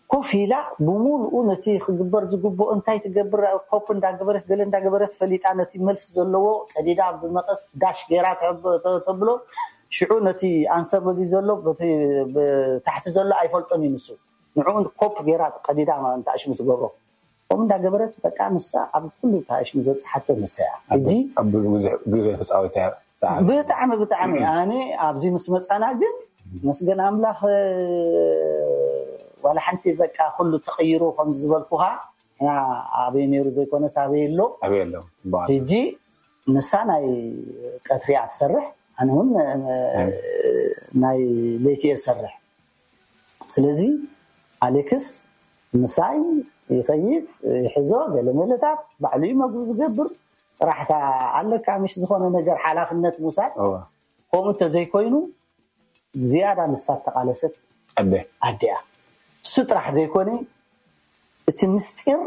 ኮፍ ኢላ ብምሉኡ ነቲ ክግበር ዝግብኦ እንታይ ትገብር ኮፕ እንዳገበረት ገለ እንዳገበረት ፈሊጣ ነቲ መልሲ ዘለዎ ቀዲዳ ብመቐስ ዳሽ ገይራ ተብ- ተ- ተብሎ። ሽዑ ነቲ ኣንሰር በዚ ዘሎ በቲ ብታሕቲ ዘሎ ኣይፈልጦን እዩ ንሱ። ንዕኡ ኮፕ ገይራ ቀዲዳ ንታሽሙ ትገብሮ። ከምኡ እንዳገበረት በቃ ንሳ ኣብ ኩሉ ታሽሙ ዘብፅሓቶ ንሳ እያ። ሕጂ ኣብ ብዙሕ ግዜ ተፃዊታ እያ። ሰዓት ብጣዕሚ ብጣዕሚ ኣነ ኣብዚ ምስ መፃና ግን መስገን ኣምላኽ ዋላ ሓንቲ በቃ ኩሉ ተቐይሩ ከም ዝበልኩኻ እና ኣበይ ነይሩ ዘይኮነስ ኣበይ ኣሎ። ኣበይ ኣሎ? ጽቡቅ። ሕጂ ንሳ ናይ ቀትሪ እያ ትሰርሕ፣ ኣነ እውን ናይ ለይቲ እየ ዝሰርሕ። ስለዚ ኣሌክስ ምሳይ ይኸይድ ይሕዞ ገለ መለታት ባዕሉ እዩ መግቢ ዝገብር። ጥራሕታ ኣለካ ምሽ ዝኾነ ነገር ሓላፍነት ምውሳድ። እወ። ከምኡ እንተዘይኮይኑ ዝያዳ ንሳ እተቓለሰት ኣደ። ኣደ እያ። እሱ ጥራሕ ዘይኮነ እቲ ምስጢር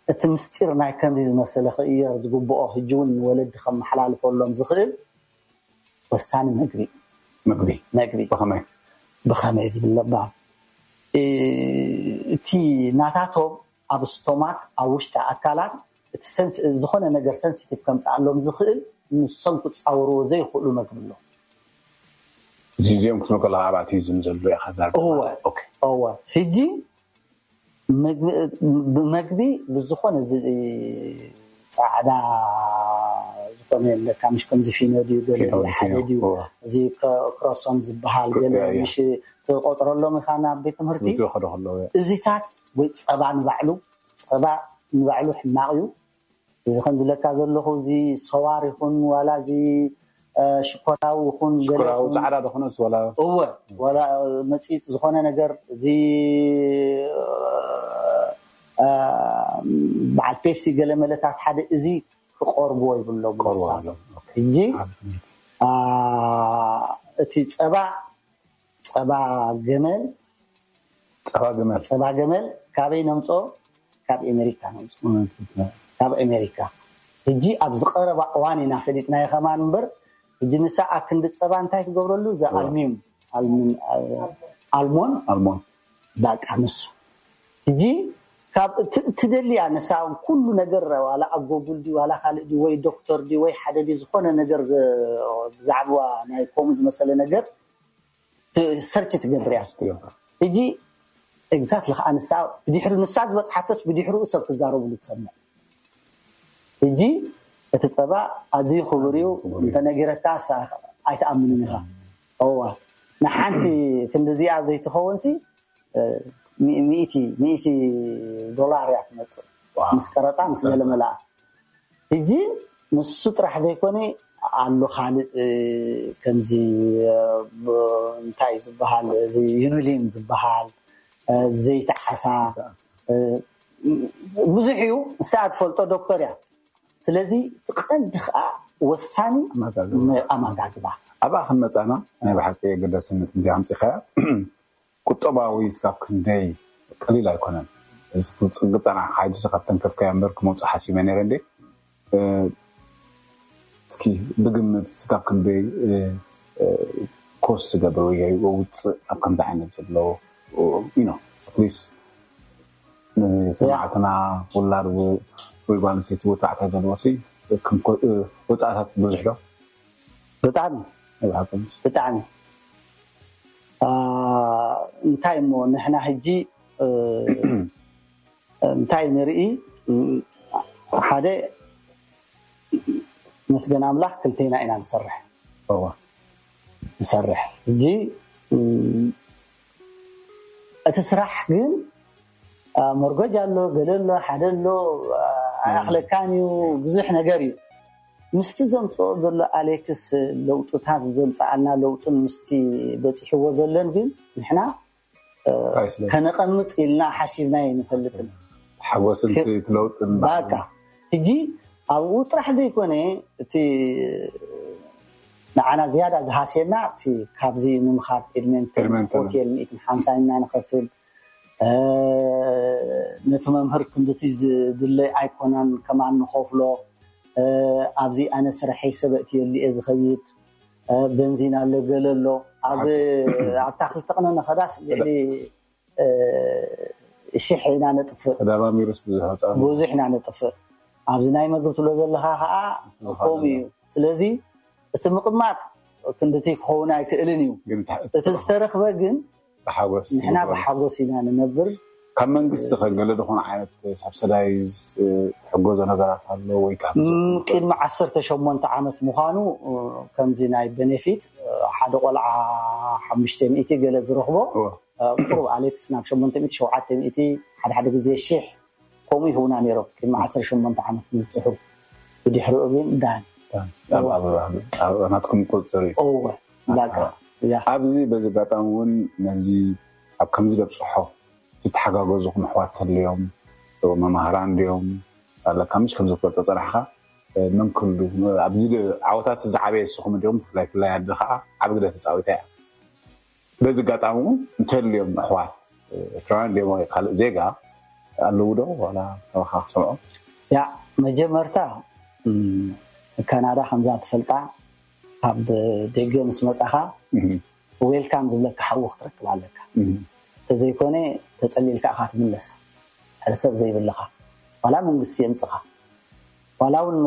እቲ ምስጢር ናይ ከምዚ ዝመሰለ ክእየር ዝግብኦ ሕጂ እውን ንወለዲ ከመሓላልፈሎም ዝኽእል ወሳኒ መግቢ እዩ። መግቢ መግቢ ብኸመይ? ብኸመይ ዝብል ለባም እ፣ እቲ ናታቶም ኣብ ስቶማክ ኣብ ውሽጢ ኣካላት እቲ ሰንስ- ዝኾነ ነገር ሰንሲቲቭ ከምፅኣሎም ዝኽእል ንሶም ክፃወርዎ ዘይኽእሉ መግቢ ኣሎ። እዚ እዚኦም ክትብል ከለካ ኣብ ኣቲዝም ዘሎ ኢኻ ዛር እወ ኦኬ እወ ሕጂ መግቢ- ብመግቢ ብዝኾነ እዚ ፃዕዳ ዝኾነ ኣለካ ምሽ ከምዚ ፊኖ ድዩ ገለ ፊኖ፣ ሓደ ፊኖ፣ ድዩ እወ። እዚ ክሮሶም ዝበሃል ገለ እያ፣ እያ። ምሽ ትቆጥረሎም ኢኻ ናብ ቤት ትምህርቲ ዝወኸዶ ከለዉ እያ። እዚታት ወይ ፀባ ንባዕሉ ፀባ ንባዕሉ ሕማቕ እዩ። እዚ ከም ዝለካ ዘለኹ እዚ ሰዋር ይኹን ዋላ እዚ እ፣ ሽኮራዊ ይኹን ገለ ሽኮራዊ ይኹን- ፃዕዳ ዶኾነስ ወላ እወ ዋላ መፂፅ ዝኾነ ነገር እዚ እ፣ በዓል ፔፕሲ ገለ መለታት ሓደ እዚ ክቆርብዎ ይብሎም ቆርቦ ንሳ። ኣሎ። ሕጂ አ፣ እቲ ፀባ ፀባ ገመል ፀባ ግመል ፀባ ገመል ካበይ ነምፅኦ? ካብ ኣሜሪካ ነምፅኦ። ካብ ኣሜሪካ ሕጂ ኣብዚ ቀረባ እዋን ኢና ፈሊጥናዮ ከማን እምበር ሕጂ ንሳ ኣብ ክንዲ ፀባ እንታይ ትገብረሉ? እዚ ኣልሚም ኣልሚም- ኣልሞን ኣልሞን በቃ ንሱ ሕጂ ካብ ት- ትደልያ ንሳ ኩሉ ነገር ዋላ ኣብ ጎጉል ድዩ ዋላ ካልእ ድዩ ወይ ዶክተር ድዩ ወይ ሓደ ድዩ ዝኾነ ነገር ዘ- ብዛዕባ ናይ ከምኡ ዝመሰለ ነገር ሰርች ትገብር እያ። ሕጂ ኤግዛክትሊ ከዓ ንሳ ብድሕሪ ንሳ ዝበፅሓቶስ ብድሕሪኡ ሰብ ክዛረብሉ ትሰምዕ። ሕጂ እቲ ፀባ ኣዝዩ ክቡር እዩ እንተነጊረካ ሳ- ኣይትኣምንን ኢኻ። እዋ ንሓንቲ ክንድዚኣ ዘይትኸውን ሲ እ፣ ሚ- ሚእቲ ሚእቲ ዶላር እያ ትመፅእ ዋው። ምስ ቀረፃ ምስ ገለ መለኣ። ሕጂ ንሱ ጥራሕ ዘይኮነ ኣሎ ካልእ እ፣ ከምዚ እ፣ ብ- እንታይ ዝበሃል እዚ ዩኒሊን ዝበሃል እ፣ ዘይቲ ዓሳ እ፣ ብዙሕ እዩ። ንሳ ትፈልጦ ዶክተር እያ። ስለዚ እቲ ቀንዲ ከዓ ወሳኒ ኣመጋግባ። ም- ኣመጋግባ ኣብኣ ከም መፃና ናይ ብሓቂ ኣገዳስነት እንዚ ኣምፂኻያ ቁጠባዊ ስጋብ ክንደይ ቀሊል ኣይኮነን። እዚ ክፅንቂ ፀናሕ ሓጂ ካብ ተንከፍካዮ እምበር ክመውፅእ ሓሲበ ነይረ እንዴ እ፣ እስኪ ብግምት ስጋብ ክንደይ ኮስት ትገብር ወይ ውፅእ ኣብ ከምዚ ዓይነት ዘሎ ዩ ኖ ኣትሊስት ንሰማዕትና ውላድ ወይ ጓል ኣንስተይቲ ወይ ተባዕታይ ዘለዎ ሲ ወፃእታት ብዙሕ ዶ? ብጣዕሚ ብጣዕሚ እንታይ እሞ ንሕና ሕጂ እንታይ ንርኢ ሓደ መስገን ኣምላኽ ክልቴና ኢና ንሰርሕ ንሰርሕ ሕጂ እቲ ስራሕ ግን መርጎጅ ኣሎ ገለ ኣሎ ሓደ ኣሎ ኣይኣኽለካን እዩ ብዙሕ ነገር እዩ ምስቲ ዘምፅኦ ዘሎ ኣሌክስ ለውጥታት ዘምፀኣልና ለውጥን ምስቲ በፂሕዎ ዘለን ግን ንሕና ከነቐምጥ ኢልና ሓሲብና ይንፈልጥን ሓጎስን ለውጥን ባቃ ሕጂ ኣብኡ ጥራሕ ዘይኮነ እቲ ንዓና ዝያዳ ዝሃስየና እቲ ካብዚ ንምኻድ ኤድመንተን ሆቴል ሚእትን ሓምሳን ኢና ንኸፍል ነቲ መምህር ክንድቲ ዝድለይ ኣይኮነን ከማን ንኸፍሎ ኣብዚ ኣነ ስርሐይ ሰበእቲ የሉ እየ ዝኸይድ በንዚን ኣሎ ገለ ኣሎ ኣብታ ክልተ ቅነ ነኸዳስ ልዕሊ ሽሕ ኢና ነጥፍእ ተደማሚሩስ ብዙሕ ወፃ ብዙሕ ኢና ነጥፍእ ኣብዚ ናይ መግብ ትብሎ ዘለኻ ከዓ ከምኡ እዩ ስለዚ እቲ ምቕማጥ ክንድቲ ክኸውን ኣይክእልን እዩ እቲ ዝተረኽበ ግን ብሓጎስ ንሕና ብሓጎስ ኢና ንነብር ካብ መንግስቲ ከገለ ዝኾነ ዓይነት ሳብሰዳይዝ ትሕገዞ ነገራት ኣሎ ወይ ካብ ቅድሚ ዓሰርተ ሸሞንተ ዓመት ምዃኑ ከምዚ ናይ ቤኔፊት ሓደ ቆልዓ ሓሙሽተ ሚእቲ ገለ ዝረኽቦ ቁሩብ ኣሌክስ ናብ ሸሞንተ ሚእቲ ሸውዓተ ሚእቲ ሓደ ሓደ ግዜ ሽሕ ከምኡ ይህቡና ነይሮም ቅድሚ ዓሰርተ ሸሞንተ ዓመት ምብፅሑ ብድሕሪኡ ግን ዳን ናትኩም ቁፅፅር እዩ እወ ላካ ኣብዚ በዚ ኣጋጣሚ እውን ነዚ ኣብ ከምዚ ደብፅሖ ዝተሓጋገዙኹም ኣሕዋት ተልዮም መማህራን ድዮም ኣለካ ምሽ ከምዚ ትፈልጦ ፀናሕካ መምክሉ ኣብዚ ዓወታት ዝዓበየ ንስኹም ድዮም ብፍላይ ፍላይ ኣደ ከዓ ዓቢ ግደ ተፃዊታ እያ በዚ ኣጋጣሚ እውን እንተልዮም ኣሕዋት ኤርትራውያን ድዮም ወይ ካልእ ዜጋ ኣለዉ ዶ ዋላ ተባካ ክሰምዖ ያ መጀመርታ ካናዳ ከምዛ ትፈልጣ ካብ ደገ ምስ መፃኻ ዌልካም ዝብለካ ሓዊ ክትረክብ ኣለካ ተዘይኮነ ተፀሊልካ ኢኻ ትምለስ ሕሰብ ዘይብልኻ ዋላ መንግስቲ የምፅኻ ዋላ እውን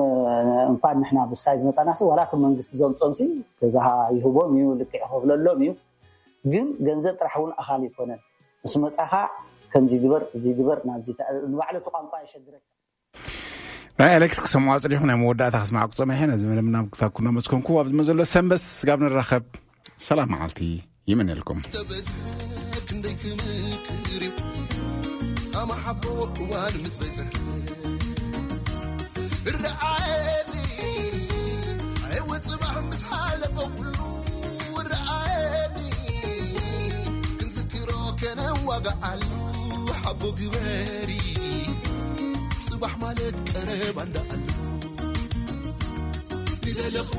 እንኳን ንሕና ብስታይ ዝመፃና ዋላ እቲ መንግስቲ ዘምፆም ሲ ገዛኻ ይህቦም እዩ ልክዕ ይኸፍለሎም እዩ ግን ገንዘብ ጥራሕ እውን ኣኻል ይኮነን ምስ መፃኻ ከምዚ ግበር እዚ ግበር ናብዚ ንባዕሉ እቲ ቋንቋ የሸግረካ ናይ ኣሌክስ ክሰምዖ ኣፅኒኹ ናይ መወዳእታ ክስማዕኩ ፀመሐ ነዚ መደብ ናብ ክታኩና መስኮንኩ ኣብ ዝመዘሎ ሰንበስ ስጋብ ንራኸብ ሰላም መዓልቲ ይምነልኩም ፃማ ሓቦ እዋን ምስ በፅሐ ርዓየኒ ኣይወ ፅባሕ ምስ ሓለፈ ኩሉ ርዓየኒ ክንዝክሮ ከነዋጋኣሉ ሓቦ ግበሪ ፅባሕ ማለት ቀረባ እንዳኣሉ ንደለኹ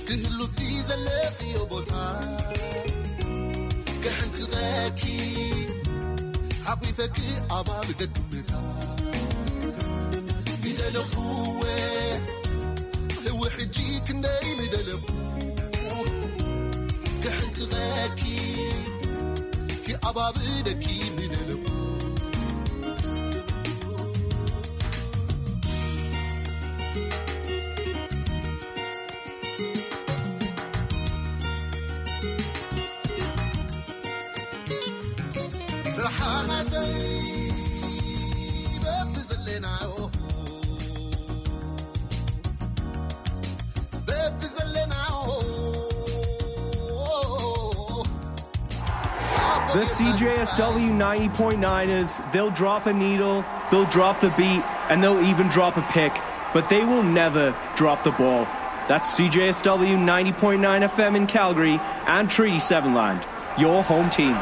ክህሉቲ ዘለኽዮ ቦታ ከሕንክቐኪ ሓጒፈኪ ኣባብ ደድምታ ንደለኹወ ሕጂ ክንደይ ምደለኹ ክሕንክቐኪ ክኣባብደኪ ምደለኹ The C J S W ninety point nine is they'll drop a needle, they'll drop the beat, and they'll even drop a pick, but they will never drop the ball. That's C J S W ninety point nine F M in Calgary and Treaty seven Land, your home team.